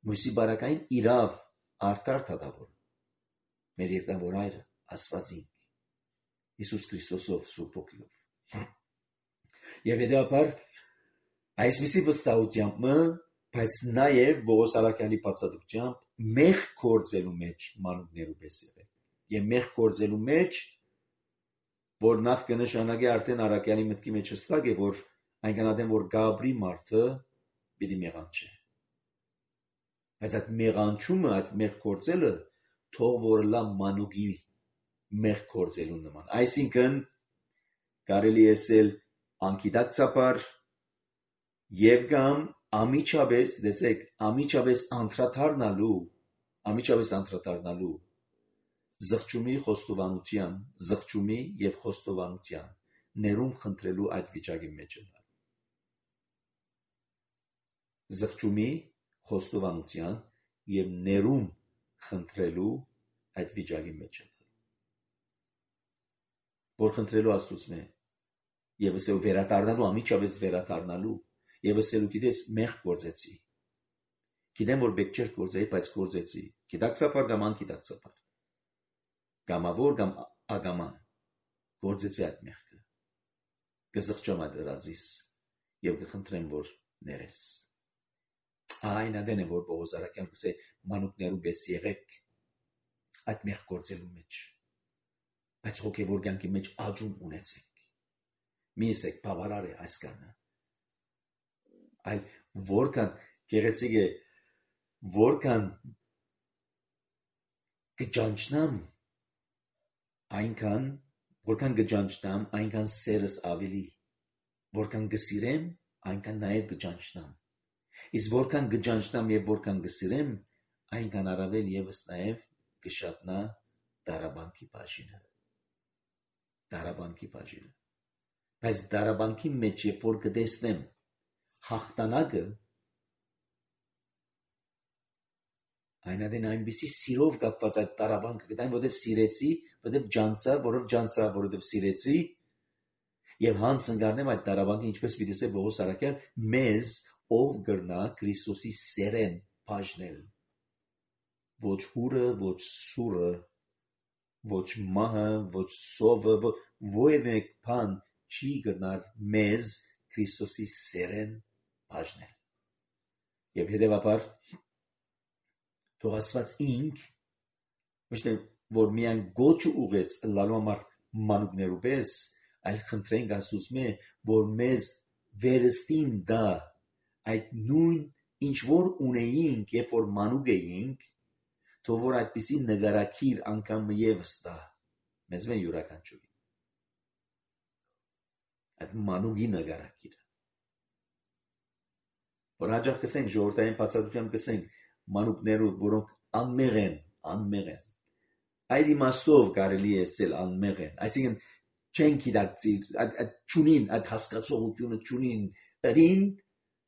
Մույսի բարակային իրավ արդար դատավոր։ Մեր երկնավոր Հայրը Աստվածին Հիսուս Քրիստոսով Սուրբ Հոգիով։ Եվ հետաբար այսպիսի վստահությամբ, բայց նաև Պողոս առաքյալի բացատրությամբ մեղ գործելու մեջ մանուկներու պես եղել։ Եվ մեղ գործելու մեջ, որ նախ կնշանակի արդեն առաքյալի մտքի մեջ հստակ է, որ այնքան ադեմ որ Գաբրի մարդը պիտի մեղանչի։ Բայց այդ մեղանչումը, այդ մեղ գործելը թող որ լա մանուկի մեղ գործելու նման։ Այսինքն կարելի է ասել անկիտակցաբար եւ կամ ամիջապես, տեսեք, ամիջապես անդրադառնալու, ամիջապես անդրադառնալու զղջումի խոստովանության, զղջումի եւ խոստովանության ներում խնդրելու այդ վիճակի մեջ է։ Զղջումի խոստովանության եւ ներում խնդրելու այդ վիճակի մեջ է։ Որ խնդրելու Աստծո եւ ասել վերադառնալու, ամիջապես վերադառնալու եւ ասելու գիտես մեղ գործեցի։ Գիտեմ որ բեք չէր գործեի, բայց գործեցի։ Գիտակցաբար կամ անկիտակցաբար։ Գամավոր կամ ագամա գործեցի այդ մեղքը։ Կզղջամ այդ դրածիս եւ կխնդրեմ որ ներես։ Այն ադեն է որ Պողոս առաքյալը կսե մանուկներու պես եղեք այդ մեղ գործելու մեջ։ Բայց հոգևոր կյանքի մեջ աջում ունեցեք։ Մի ասեք բավարար է այսքանը։ Այլ որքան գեղեցիկ է, որքան կճանչնամ, այնքան որքան կճանչնամ, այնքան սերս ավելի, որքան կսիրեմ, այնքան նաև կճանչնամ։ Իսկ որքան կճանչնամ եւ որքան կսիրեմ, այնքան առավել եւս նաև կշատնա դարաբանքի բաժինը։ Դարաբանքի բաժինը։ Բայց դարաբանքի մեջ երբ որ կտեսնեմ հաղթանակը, այնադեն այնպիսի սիրով կապված այդ դարաբանքը կտայեմ, որովհետև սիրեցի, որովհետև ջանցա, որով ջանցա, որովհետև սիրեցի, եւ հանց ընկարնեմ այդ դարաբանքը, ինչպես պիտի ասե Պողոս առաքյալ, մեզ ով կրնա Քրիստոսի սերեն բաժնել։ Ոչ հուրը, ոչ սուրը, ոչ մահը, ոչ սովը, որևէ բան չի կրնար մեզ Քրիստոսի սերեն բաժնել։ Եվ հետևաբար թող Աստված ինք ոչ թե որ միայն գոչը ուղեց լալու համար մանուկներու պես, այլ խնդրենք Աստծո որ մեզ վերստին դա այդ նույն ինչ որ ունեինք, երբ որ մանուկ էինք, թող որ այդպիսի նկարակիր անգամ եւս տա մեզ մեն յուրաքանչյուրին այդ մանուկի նկարակիրը որ հաջող կսենք ժողովրդային բացատրությամբ կսենք մանուկներու որոնք անմեղ են անմեղ են այդ իմաստով կարելի է ասել անմեղ են այսինքն չեն գիտակցի այդ ճունին այդ հասկացողությունը ճունին դրին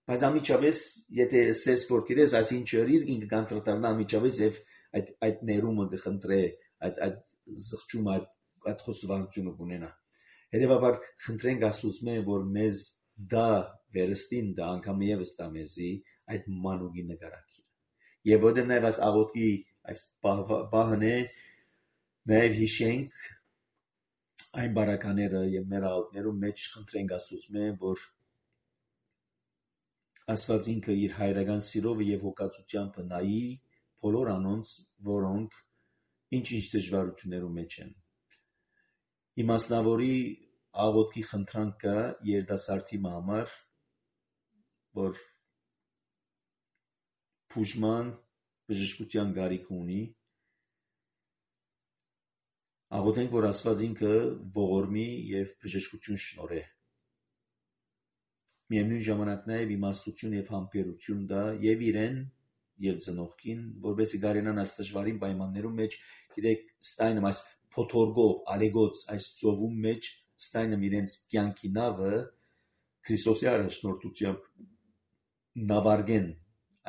բայց ամիջապես եթե ասես որ գիտես այսին չերիր ինքը կանտրտարնա ամիջապես եւ այդ այդ ներումը կխնդրե այդ այդ զղջումը այդ այդ խոստովանությունը կունենա հետեւաբար խնդրենք Աստծո որ մեզ դա վերստին դա անգամ եւս տա մեզի այդ մանուկի նկարակիրը եւ որտեղ նաեւ այս աղոթքի այս բահն է նաեւ հիշենք այն բարակաները եւ մեր աղոթներու մեջ խնդրենք Աստծո որ Աստված ինքը իր հայրական սիրով եւ հոգացությամբ նայի բոլոր անոնց որոնք ինչ-ինչ դժվարություններու մեջ են իմաստնավորի աղոթքի խնդրանքը երիտասարդի համար որ բուժման բժշկության գարիք ունի աղոթենք որ Աստված ինքը ողորմի եւ բժշկություն շնորհե միևնույն ժամանակ նաեւ իմաստություն եւ համբերություն դա եւ իրեն եւ ծնողքին որովհետեւ գարենան այս դժվարին պայմաններում մեջ գիտեք ստայնը այս փոթորգող ալեգոց այս ծովում մեջ ստայնը իրենց կյանքի նավը Քրիստոսի առաջնորդությամբ նավարգեն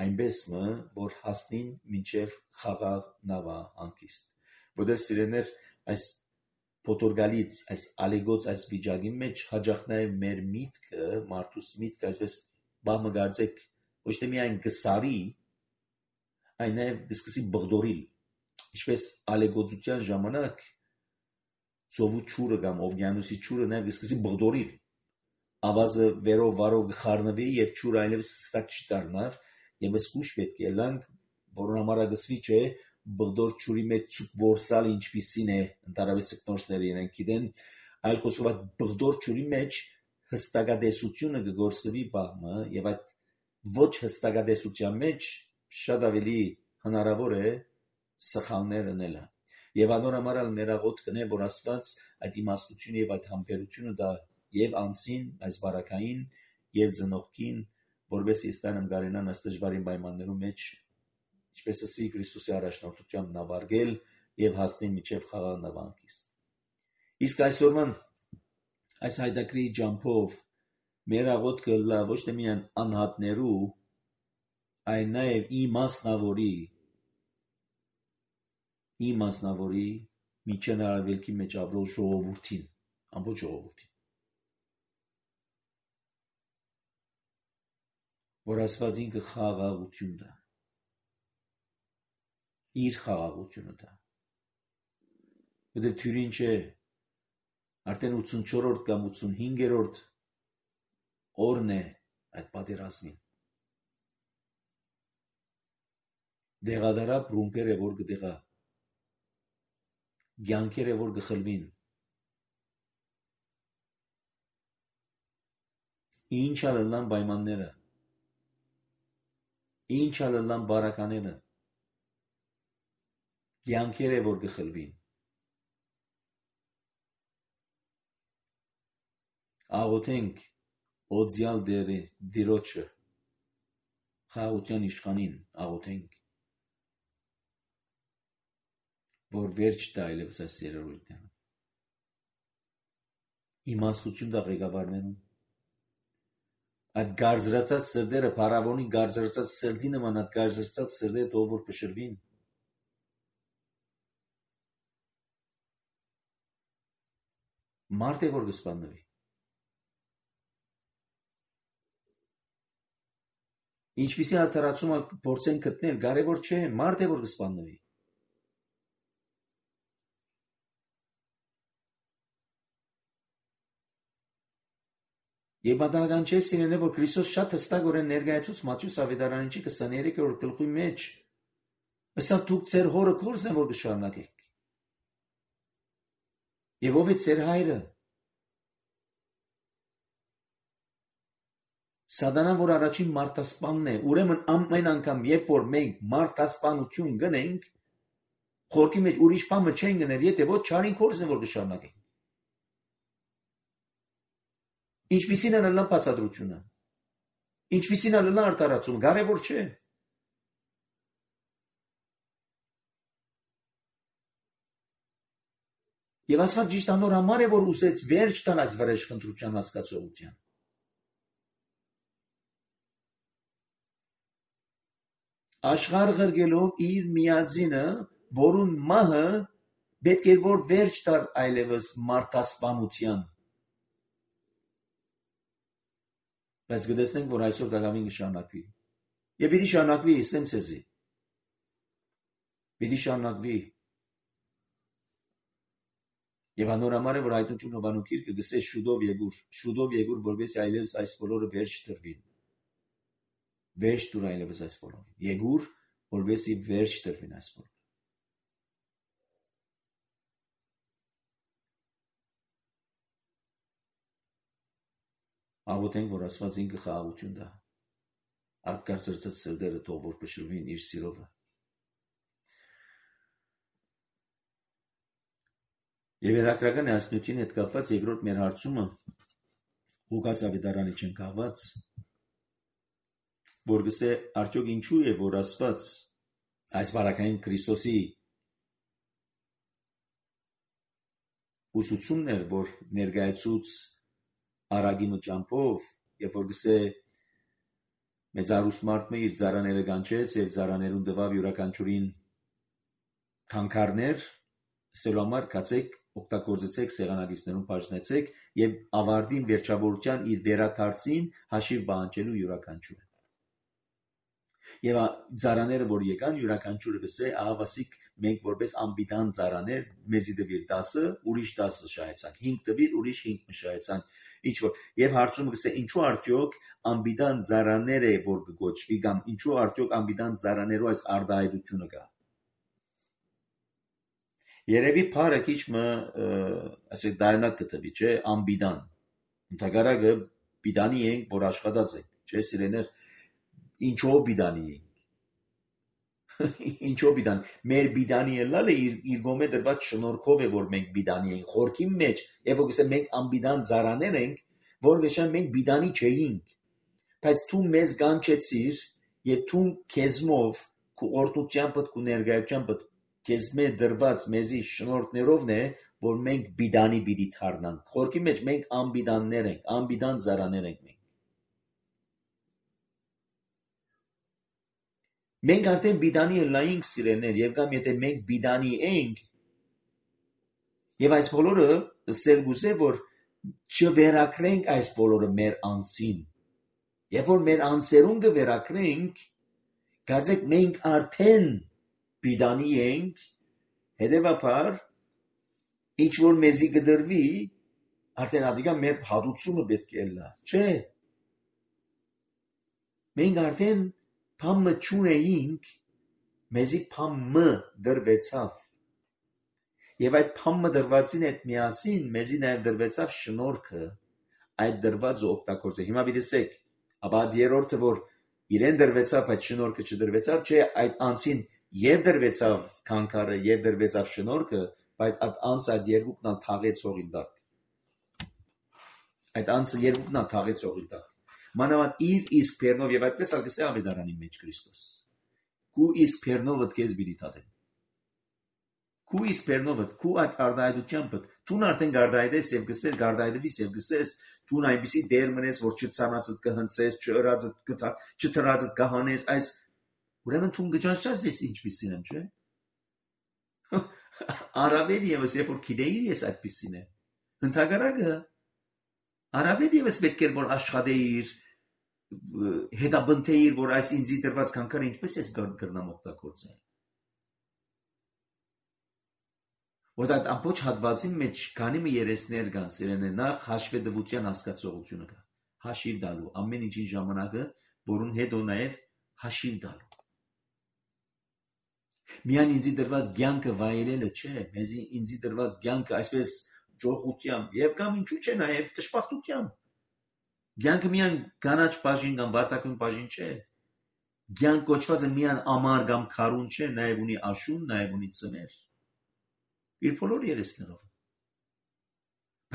այնպես մը որ հասնին մինչև խաղաղ նավա հանգիստ որտեղ սիրեներ այս փոթորգալից այս ալեգոց այս վիճակի մեջ հաջախնայ մեր միտքը մարդուս միտքը այսպես բամը գարձեք ոչ թե միայն գսարի այն նաև գսկսի բղդորիլ ինչպես ալեգոծության ժամանակ ծովու ճուրը կամ օվկիանոսի ճուրը նաև գսկսի բղդորիլ ավազը վերով վարով գխառնվի եւ ճուրը այլևս հստակ չի դառնար եւ սկուշ պետք է լանք որոնց համար գսվի չէ բղդոր ճուրի մեջ ցուկ որսալ ինչպիսին է ընդառաջ սկնորսները իրենք գիտեն այլ խոսքով բղդոր ճուրի մեջ հստակադեսությունը գգործվի բամը եւ այդ ոչ հստակադեսության մեջ շատ ավելի հնարավոր է սխալներ անելը եւ անորամար ներաղոտ կնե որ Աստված այդ իմաստությունը եւ այդ համբերությունը դա եւ անցին այս բարակային եւ ծնողքին որովհետեւ ստանամ գարենան այս դժվարին պայմաններում մեջ ինչպես ասի Քրիստոսի առաջնորդությամբ նավարգել եւ հասնեն միջև խաղաղ նավանկիստ իսկ այսօրվան այս հայդակրի ջամփով մեր աղոթքը լա ոչ թե միայն անհատներու այլ նաեւ իմաստնավորի իմաստնավորի միջանարավելքի մեջ ապրող ժողովրդին ամբողջ ժողովրդին որ Աստված ինքը խաղաղություն դա իր խաղաղությունը դա որտեղ թյուրին չէ արդեն ութսունչորրորդ կամ ութսունհինգերորդ օրն է այդ պատերազմին դեղադարապ ռումպերը որ գտեղա գյանքերը որ գխլվին ինչ ալլան պայմանները ինչ ալլան բարակաները գյանքերը որ գխլվին աղոթենք օձյալ դերի դիրոջը խաղաղության իշխանին աղոթենք որ վերջ տա այլևս այս երերույթները իմաստություն դա ղեկավարներում այդ գարզրացած սրդերը փարավոնի գարզրացած սրդի նման այդ գարզրացած սրդերը թող որ փշրվին մարդ է որ կսպանվի ինչպիսի արդարացում փորձեն գտնել կարևոր չէ մարդ է որ կսպանվի Եվ պատահական չէ սիրելիներ, որ Քրիստոս շատ հստակորեն ներկայացուց Մատթեոս ավետարանչի քսաներեքերորդ գլխի մեջ ըստ դուք ձեր հորը գործն որ կշարունակեք։ Եվ ով է ձեր հայրը։ Սատանան, որ առաջին մարդասպանն է, ուրեմն ամեն անգամ, երբ որ մենք մարդասպանություն գնենք, խորքի մեջ ուրիշ բան չեն գնել, եթե ոչ չարին գործն որ կշարունակենք։ Ինչպիսին է լլան բացատրությունը, ինչպիսին է լլան արտարացումը, կարևոր չէ։ Եվ Աստված ճիշտ անոր համար է, որ ուզեց վերջ տալ այս վրեժխնդրության հասկացողության։ Աշխարհ ղրգելով իր միածինը, որուն մահը պետք է որ վերջ տար այլևս մարդասպանության։ Բայց գտեսնենք, որ այսօր դակամին կշարունակվի։ Եվ պիտի շարունակվի, ասեմ ցեզի։ Պիտի շարունակվի։ Եվ անորամար է, որ հայտնություն Հովանու գիրքը գսե շուտով եկուր, շուտով եկուր, որովհետեւ այլևս այս բոլորը վերջ տրվին։ Վերջ տուր այլևս այս բոլորը։ Եկուր, որովհետեւ վերջ տրվին այս բոլորը։ Աղոթենք, որ Աստված ինքը խաղաղություն տա։ Արտկարծրծած սրտերը թող որ փշրվին իր սիրովը։ Եվ հետաքրական է ասնությունի հետ կապված երկրորդ մեր հարցումը Ղուկաս ավետարանի չեն կահված, որ գսե արդյոք ինչու է, որ Աստված այս բարակային Քրիստոսի ուսուցումներ, որ ներկայացուց արագի մճամփով, երբ որ գսե մեծ արուստ մարդը իր ծառաները կանչեց եւ ծառաներուն տվավ յուրաքանչյուրին քանքարներ, սելու համար կացեք, օգտագործեցեք սեղանագիծներուն բաժնեցեք եւ ավարտին վերջավորության իր վերաթարցին հաշիվ բանջելու յուրաքանչյուրը։ Եվ ծառաները որ եկան յուրաքանչյուրը գսե ահավասիկ մենք որպես ամբիդան ծառաներ մեզի դվիր տասը ուրիշ տասը շահեցանք հինգ դվիր ուրիշ հինգ մշահեցանք ինչ որ եւ հարցումը գսե ինչու արդյոք ամբիդան ծառաները որ կգոչվի կամ ինչու արդյոք ամբիդան ծառաներու այս արդայդությունը կա Երևի փարը քիչ մը ասենք դայնակ կտվի չէ ամբիդան ընդհանրակը բիդանի ենք որ աշխատած ենք չէ սիրեներ ինչով բիդանի ենք ինչով բիդան մեր բիդանի ելալը իր իր գոմե դրված շնորհքով է որ մենք բիդանի ենք խորքի մեջ եւ որ գսե մենք ամբիդան ծառաներ ենք որ գշան մենք բիդանի չէինք բայց դու մեզ կանչեցիր եւ դու քեզմով քու օրտությամբ քու ներգայությամբ քեզ մե դրված մեզի շնորհներովն է որ մենք բիդանի բիդի թարնանք խորքի մեջ մենք ամբիդաններ ենք ամբիդան ծառաներ ենք մենք մենք արդեն բիդանի լայինք սիրեներ եւ կամ եթե մենք բիդանի ենք եւ այս բոլորը սերգուզե որ չվերակրենք այս բոլորը մեր անձին եւ որ մեր անձերուն կվերակրենք կարծեք մենք արդեն բիդանի ենք հետևաբար ինչ որ մեզի կդրվի արդեն ադիգա մեր հատուցումը պետք է լա չէ մենք արդեն փամը չունեինք մեզի փամը դրվեցավ եւ այդ փամը դրվածին հետ միասին մեզի նաեւ դրվեցավ շնորհքը այդ դրվածը օգտագործել հիմա դիտեք ապա երրորդը որ իրեն դրվեցավ այդ շնորհքը չդրվեցավ չէ այդ անցին եւ դրվեցավ քանքարը եւ դրվեցավ շնորհքը բայց այդ անցը այդ երկուքն ան թաղեցողին տակ այդ անցը երկուքն ան թաղեցողին տակ մանավանդ իր իսկ բերնով եւ այդպես ալգսե ավետարանի մեջ Քրիստոս քու իսկ բերնովդ քեզ բիդի տադեն քու իսկ բերնովդ քու այդ արդայդությամբ դու արդեն գարդայդես եւ գսես գարդայդվիս եւ գսես դու այնպեսի դեր մնես որ չցանածդ կհնցես չըրածդ կթա չթրածդ կհանես այս ուրեմն դու գճանչած ես ինչպեսին եմ չէ Արավել եւս երբ որ գիտեիր ես այդպեսին է ընդհանրակը Արավել եւս պետք է որ աշխատեիր հետաբնթեիր որ այս ինձի դրված քանքարը ինչպես ես կրնամ օգտագործել որ այդ ամբողջ հատվածի մեջ քանի մի երեսներ կան սիրենե նախ հաշվետվության հասկացողությունը կա հաշիվ տալու ամեն ինչի ժամանակը որուն հետո նաեւ հաշիվ տալու Միան ինձի դրված ցանկը վայելելը չէ, մեզի ինձի դրված ցանկը այսպես ջոխությամբ եւ կամ ինչու՞ չէ նաեւ տշպախտությամբ։ Ցանկը միան կանաչ բաժին կամ վարտակուն բաժին չէ։ Ցանկ կոչվածը միան ամար կամ քարուն չէ, նաեւ ունի աշուն, նաեւ ունի ծներ։ Իր բոլոր երեսներով։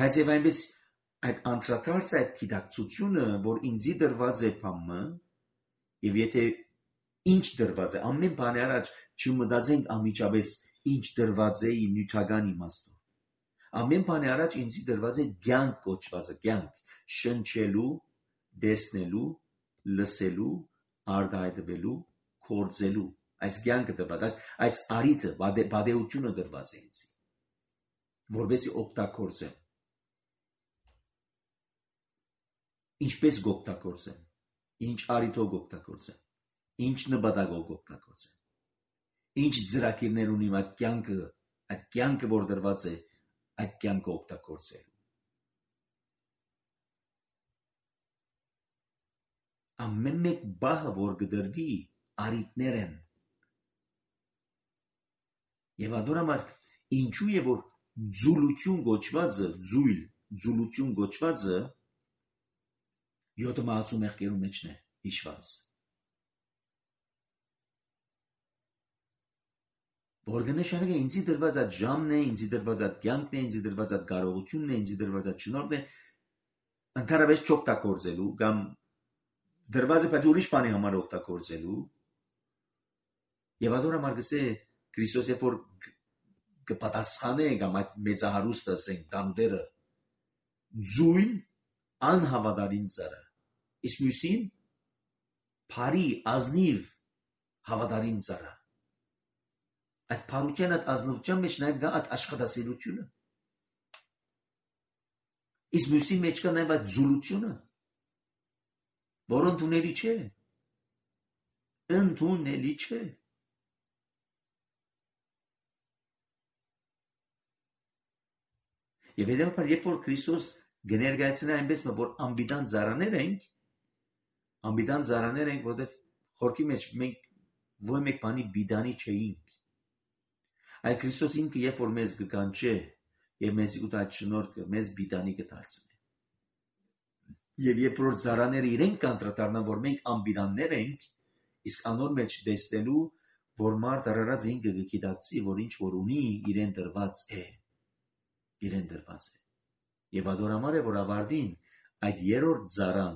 Բայց եւ այնպես այդ անդրադարձ այդ գիտակցությունը, որ ինձի դրված է փամը, եւ եթե ինչ դրված է, ամեն բանի առաջ չմտածենք անմիջապես ինչ դրված է նյութական իմաստով։ Ամեն բանի առաջ ինձի դրված է ցանկ կոչվածը, ցանկ, շնչելու, դեսնելու, լսելու, արտահայտվելու, կործելու, այս ցանկը դրված, այս այս արիթը, բադեությունը դրված է ինձի, որովհետեւ օգտագործեմ։ Ինչպես օգտագործեմ, ինչ արիթով օգտագործեմ, ինչ նպատակով օգտագործեմ, ինչ ծրագիրներ ունի այդ կյանքը, այդ կյանքը որ դրված է, այդ կյանքը օգտագործել։ Ամեն մեկ բահը որ գդրվի արիթներ են։ Եվ adorամար ինչու է որ ձուլություն գոչվածը, ձույլ, ձուլություն գոչվածը յոթ մահացու մեղքերու մեջն է հիշված։ Որ գնշանը ինձի դրված այդ ժամն է, ինձի դրված այդ կյանքն է, ինձի դրված այդ կարողությունն է, ինձի դրված այդ շնորհն է, ընդհանրապես չօգտագործելու կամ դրված է բայց ուրիշ բանի համար օգտագործելու։ Եվ adorամար գսե Քրիստոս երբ որ կպատասխանենք կամ այդ մեծահարուստ ասենք տանուտերը ձույն անհավատարիմ ծառը իսկ մյուսին բարի ազնիվ հավատարիմ ծառը այդ բարության այդ ազնվության մեջ նաև գա այդ աշխատասիրությունը իսկ մյուսի մեջ կա նաև այդ զուլությունը որ ընդունելի չէ ընդունելի չէ Եվ հետևաբար, երբ որ Քրիստոս կներկայացնի այնպես, որ անպիտան ծառաներ ենք, անպիտան ծառաներ ենք, որովհետև խորքի մեջ մենք ոչ մեկ բանի պիտանի չէինք։ Այլ Քրիստոս ինքը երբ որ մեզ կկանչե եւ մեզ ուտա շնորհքը մեզ պիտանի կդարձնի։ Եվ երբ որ ծառաները իրենք կանտրատարնան, որ մենք անպիտաններ ենք, իսկ անոր մեջ տեսնելու, որ մարդ արարած ինքը կգիտակցի, որ ինչ որ ունի, իրեն դրված է։ Իրեն դրված է։ Եվ ադորամար է, որ ավարտին այդ երրորդ ծառան,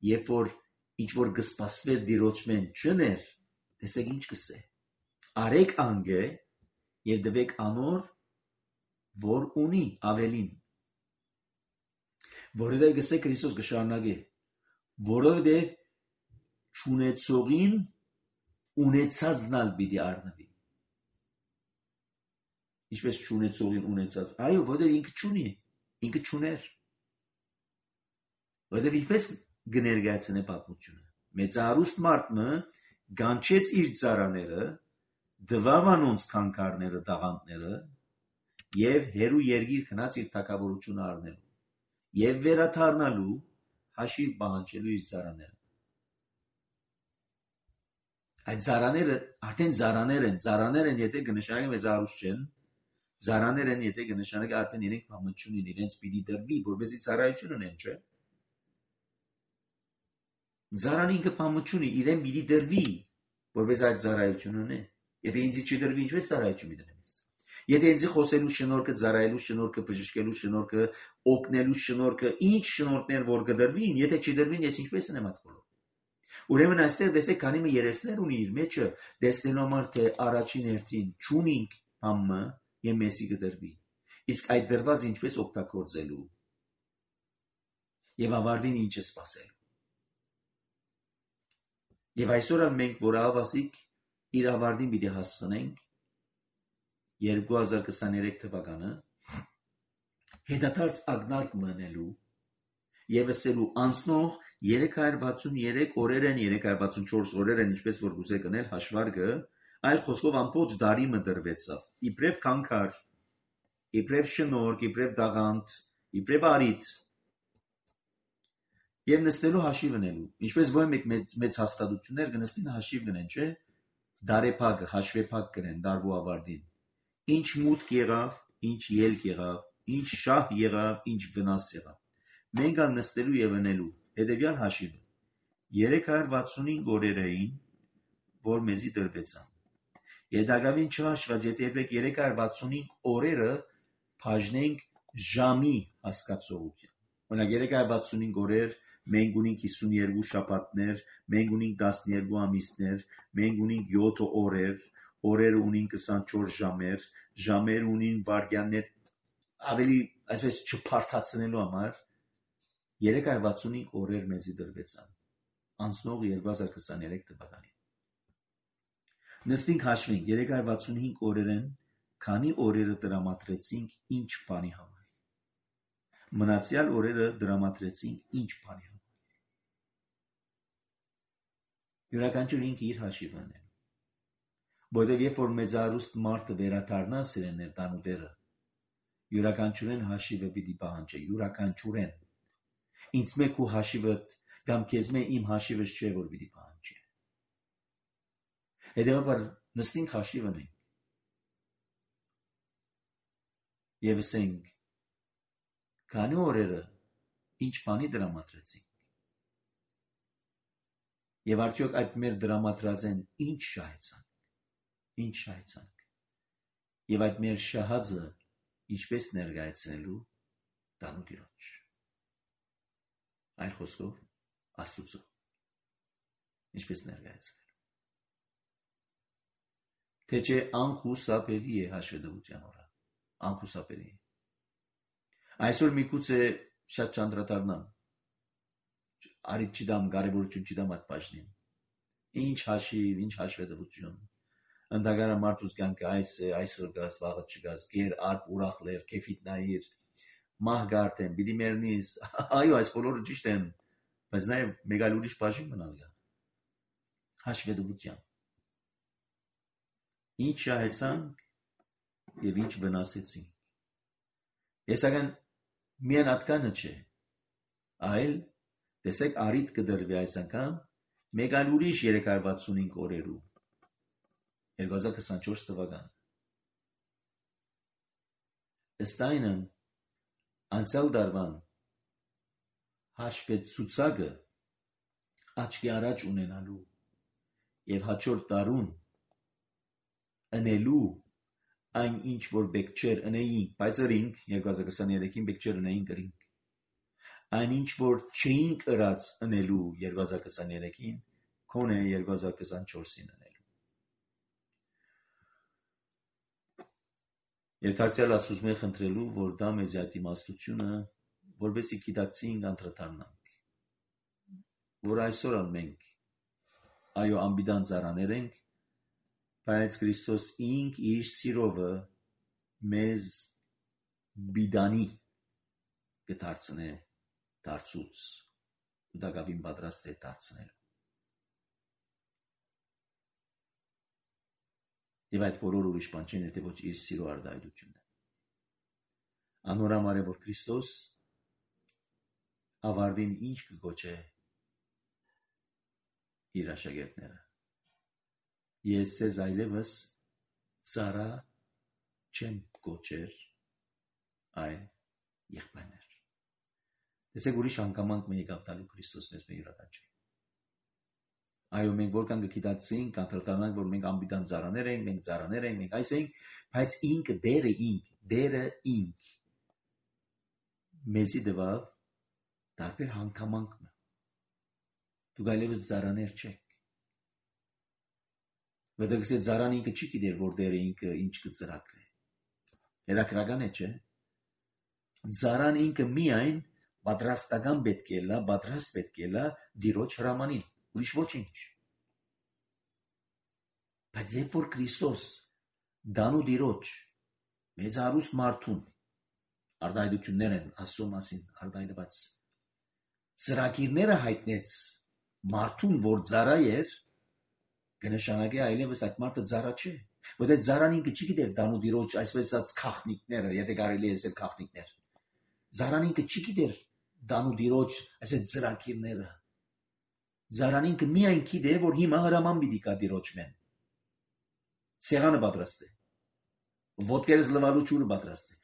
երբ որ ինչ որ կսպասվեր դիրոճմեն չներ, տեսեք ինչ կսե։ Արեք անգե եւ դվեք անոր, որ ունի ավելին։ Որովհետեւ գսե Քրիստոս կշարունակե, որովհետեւ չունեցողին ունեցածնալ պիտի առնվի։ Ինչպես չունեցողին ունեցած, այո, որովհետև ինքը չունի, ինքը չուներ։ Որովհետև ինչպես կներկայացնե պատմությունը։ Մեծահարուստ մարդը գանչեց իր ծառաները, դվավ անոնց քանքարները, տաղանդները եւ հերու երգիր գնաց իր թագավորությունը առնելու եւ վերաթարնալու հաշիվ պահանջելու իր ծառաները։ Այդ ծառաները արդեն ծառաներ են, ծառաներ են, եթե կնշանակեն մեծահարուստ չեն, ծառաներ են, եթե կնշանակեն արդեն իրենք բամություն ունեն, իրենց պիտի դրվի, որպեսզի ծառայություն ունեն, չէ՞։ Ծառան ինքը բամություն ունի, իրեն պիտի դրվի, որպես այդ ծառայություն ունի։ Եթե ինձ չդրվի, ինչպես ծառայություն մի դնեմ ես։ Եթե ինձ խոսելու շնորհքը, ծառայելու շնորհքը, բժշկելու շնորհքը, օգնելու շնորհքը, ինչ շնորհներ որ կդրվին, եթե չդրվին, ես ինչպես եմ այդ բոլոր։ Ուրեմն այստեղ տեսեք, քանի մի երեսներ ունի իր մեջը, տեսնելու համար թե առաջին հերթին ճունինք համը եւ մեսի կդրվի։ Իսկ այդ դրված ինչպես օգտագործելու եւ ավարտին ինչ է սпасել։ Եվ այսօր մենք որ ավասիկ իր ավարտին պիտի հասցնենք երկու հազար քսաներեք թվականը հետադարձ ակնարկ մնելու եւ ասելու անցնող երեք հարյուր վաթսուններեք օրեր են, երեք հարյուր վաթսունչորս օրեր են, ինչպես որ գուզե կնել հաշվարկը, այլ խոսքով ամբողջ դարի մդրվեցավ։ Իբրև քանքար, իբրև շնորհք, իբրև դաղանդ, իբրև արիտ եւ նստելու հաշիվ ունելու։ Ինչպես ոչ մեկ մեծ, մեծ հաստատություններ կնստին հաշիվ գնեն, չէ՞։ Դարեփակ, հաշվեփակ կրեն դարվու ավարտին։ Ինչ մուտք եղավ, ինչ ելք եղավ, ինչ շահ եղավ, ինչ վնաս եղավ։ Մենք ալ նստելու եւ ունելու հետեւյալ հաշիվը երեք հարյուր վաթսունհինգ օրեր էին, որ մեզի դրվեցան։ Եդագավին չհաշված, եթե երեք հարյուր վաթսունհինգ օրերը բաժնենք ժամի հասկացողությամբ։ Օրինակ երեք հարյուր վաթսունհինգ օրեր մենք ունենք հիսունյերկու շաբաթներ, մենք ունենք տասներկու ամիսներ, մենք ունենք յոթ օրեր, օրերը ունին քսանչորս ժամեր, ժամեր ունին վայրկյաններ, ավելի այսպես չփարթացնելու համար երեք հարյուր վաթսունհինգ օրեր մեզի դրվեցան անցնող երկու հազար քսաներեք թվականին։ Նստենք հաշվենք երեք հարյուր վաթսունհինգ օրերեն քանի օրերը դրամատրեցինք ինչ բանի համար։ Մնացյալ օրերը դրամատրեցինք ինչ բանի համար։ Յուրաքանչյուր ինքը իր հաշիվը ունի։ Որտեւ երբ որ մեծահարուստ մարդը վերադառնա սիրեներ տանուտերը, յուրաքանչյուրեն հաշիվը պիտի պահանջի, յուրաքանչյուրեն։ Ինձ մեկ ու հաշիվը կամ քեզ մե իմ հաշիվս չէ որ պիտի պահանջի։ Հետևաբար նստենք հաշիվ ունենք։ Եվ ասենք քանի օրերը ինչ բանի դրամատրեցինք։ Եվ արդյոք այդ մեր դրամատրած են ինչ շահեցանք, ինչ շահեցանք։ Եվ այդ մեր շահածը ինչպես ներկայացնելու տանու Տիրոջ։ Այլ խոսքով Աստծո ինչպես ներկայացնելու։ թե չէ անխուսափելի է հաշվետվության օրը, անխուսափելի է։ Այսօր միգուցե շատ ճանտրատարնամ, արիտ չդամ, կարևորություն չդամ այդ բաժնին։ Ինչ հաշիվ, ինչ հաշվետվություն։ Ընդհանրապես մարդուս կյանքը այս է, այսօր գաս, վաղը չգաս, գեր, արկ, ուրախ լեր, քեֆիտ նայիր, մահ գարտեն, պիտի մեռնիս, այո, այս բոլորը ճիշտ են, բայց նաև մեկ այլ ուրիշ բաժին մնալ գա։ Հաշվետվության։ Ինչ շահեցանք և ինչ վնասեցինք։ Եսական միայն ատկանը չէ, այլ տեսեք արիտ կդրվի այս անգամ մեկ այլ ուրիշ երեք հարյուր վաթսունհինգ օրերու երկու հազար քսանչորս թվականը։ Ըստ այնն անցյալ դարվան հաշվեցուցակը աչքի առաջ ունենալու և հաջորդ դարուն ընելու այն ինչ որ բեք չեր ընեինք, բայց ըրինք երկու հազար քսաներեքին բեք չեր ընեինք ըրինք, այն ինչ որ չէինք ըրած ընելու երկու հազար քսաներեքին քոնե երկու հազար քսանչորսին ընելու։ Երթարցյալ ասուզմե խնդրելու, որ դա մեզ այդ իմաստությունը, որովհետեւ գիտակցինք անդրադառնանք, որ այսօր ալ մենք այո անբիդան ծառաներ ենք, բայց Քրիստոս ինք իր սիրովը մեզ բիդանի կդարձնե դարձուց ու դա գավին պատրաստ է դարձնել։ Եվ այդ բոլոր ուրիշ բան չեն, եթե ոչ իր սիրո արտահայտությունն է։ Անորամար է, որ Քրիստոս ավարտին ինչ կգոչե իր աշակերտները։ Ես ձեզ այլևս ծառա չեմ գոչեր, այլ եղբայրներ։ Տեսեք ուրիշ հանգամանք մենք եկավ տալու Քրիստոս մեզ մեր յուրաքանչյուրին։ Այո, մենք որքան կգիտակցենք, կանտրատանանք, որ մենք անբիդան ծառաներ ենք, մենք ծառաներ ենք, մենք այս ենք, բայց ինքը դերը ինք, դերը ինք մեզի դվավ տարբեր հանգամանքն։ Դուք այլևս ծառաներ չեք։ Որտեղ ծառան ինքը չի գիտեր, որ դերը ինքը ինչ կծրակրի։ Հետաքրական է, չէ՞։ Ծառան ինքը միայն պատրաստական պետք է լա, պատրաստ պետք է լա դիրոջ հրամանին, ուրիշ ոչինչ։ Բայց երբ որ Քրիստոս դանու դիրոջ մեծ հարուստ մարդուն արտահայտություններ են Աստծո մասին արտահայտված ծրագիրները հայտնեց մարդուն, որ ծառա էր, կնշանակի այլևս այդ մարդը ծառա չէ, որտեղ ծառան ինքը չի գիտեր դանու դիրոջ այսպես ասած քաղտնիկները, եթե կարելի է ասել քաղտնիկներ։ Ծառան ինքը չի գիտեր դանու դիրոջ այսպես ծրագիրները։ Ծառան ինքը միայն գիտե, որ հիմա հրաման պիտի կա դիրոջ մեն։ Սեղանը պատրաստ է։ Ոտքերս լվալու ջուրը պատրաստ է։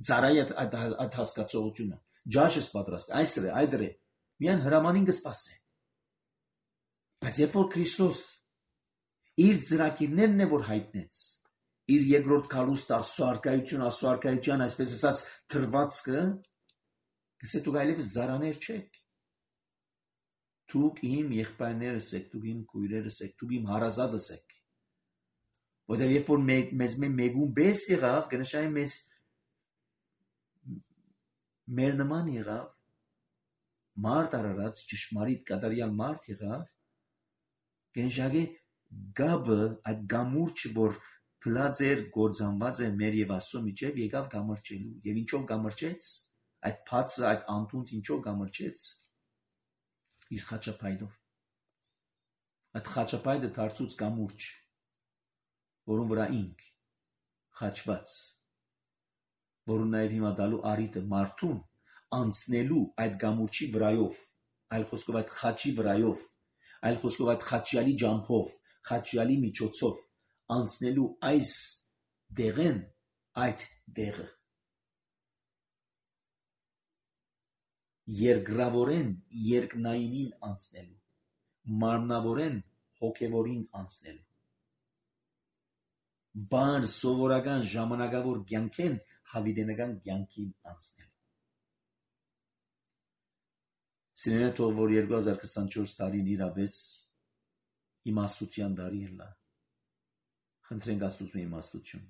Ծառայի այդ հասկացողությունը, ջաշս պատրաստ է, այս է, այդ է։ Միայն հրամանին կսպասե։ Բայց երբ որ Քրիստոս իր ծրագիրներն է որ հայտնեց, իր երկրորդ քալուստ Աստծո արկայություն, Աստծո արկայության այսպես ասած թրվածքը, գսե դուք այլևս ծառաներ չեք։ Դուք իմ եղբայրներս եք, դուք իմ քույրերս եք, դուք իմ հարազատս եք։ Որտեղ երբ որ մեզ մեկուն բես եղավ, կնշանակի մեզ մեր նման եղավ, մարդ արարած, ճշմարիտ կատարյալ մարդ եղավ, կնշանակի գաբը, այդ գամուրջը, որ փլած էր, գործանված է մեր եւ Աստծո միջև, եկավ գամրջելու։ Եվ ինչով գամրջեց, այդ փածը, այդ անտունդ ինչով գամրջեց, իր խաչապայդով։ Այդ խաչապայդը դարձուց գամուրջ, որում վրա ինք խաչված, որում նաև հիմա դալու արիտը մարդուն անցնելու այդ գամուրջի վրայով, այլ խոսքով այդ խաչի վրայով, այլ խոսքով այդ խաչյալի ջամփով, խաչյալի միջոցով անցնելու այս դեղեն, այդ դեղը երկրավորեն երկնայինին անցնելու, մարմնավորեն հոգևորին անցնելու, բան սովորական ժամանակավոր կյանքեն հավիտենական կյանքին անցնելու։ Սիրելիներ, թող որ երկու հազար քսանչորս տարին իրապես իմաստության տարի ելա, Խնդրենք Աստծո իմաստություն,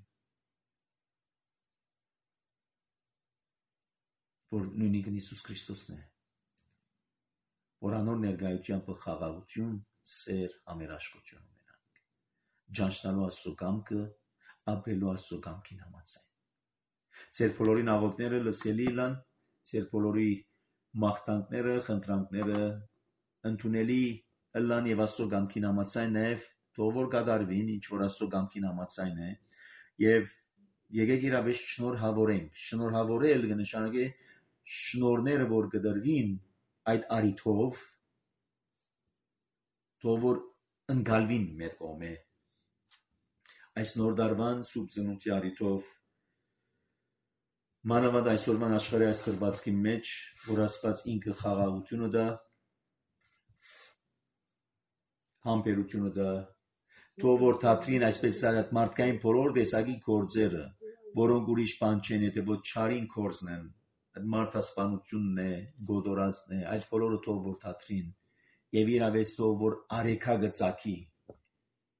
որ նույնիկ Հիսուս Քրիստոսն է, որ անոր ներկայությամբ խաղաղություն, սեր, համերաշխություն ունենանք, ճանչնալու Աստծո կամքը, ապրելու Աստծո կամքին համաձայն։ Ձեր բոլորի աղոթքները լսելի լան, ձեր բոլորի մաղթանքները, խնդրանքները ընդունելի լան եւ Աստծո կամքին համաձայն նաեւ թող որ կատարվին, ինչ որ Աստծո կամքին համաձայն է, եւ եկեք իրավեշ շնորհավորենք։ Շնորհավորել կնշանակի շնորհները, որ կդրվին այդ արիթով, թող որ ընկալվին մեր կողմէ։ Այս նոր դարվան սուրբ ծնունդի արիթով մանավանդ այսօրվան աշխարհի այս դրվածքի մեջ, որ Աստված ինքը խաղաղությունը դա, համբերությունը դա, թող որ թատրին այսպես ասած մարդկային բոլոր տեսակի գործերը, որոնք ուրիշ բան չեն, եթե ոչ չարին գործն են, այդ մարդասպանությունն է, գոդորածն է, այդ բոլորը թող որ թատրին եւ իրավես թող որ արեքա գծակի,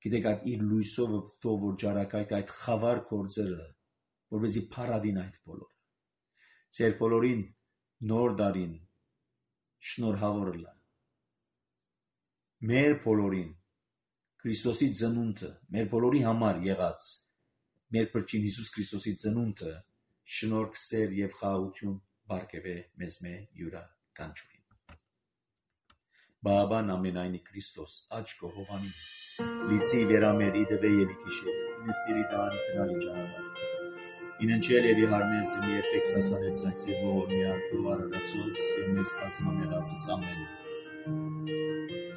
գիտեք այդ իր լույսով թող որ ջարակայտ այդ խավար գործերը, որովհետեւ փարադին այդ բոլորը։ Ձեր բոլորին նոր դարին շնորհավորել մեր բոլորին Քրիստոսի ծնունդը, մեր բոլորի համար եղած, մեր Փրկին Հիսուս Քրիստոսի ծնունդը շնորհք, սեր եւ խաղաղություն բարգեւե մեզ մե յուրա կանչուրին։ Բաբան ամենայնի Քրիստոս աչքո հովանի լիցի վերամերի դվե եւ իքիշերի ինստիրի դանի քնալի ճանապարհ ինընչել եւ իհարնես մի երբեք սասանեց այցե ողոր միակ ու արարածոց եւ մեզ ասմամեղացս ամեն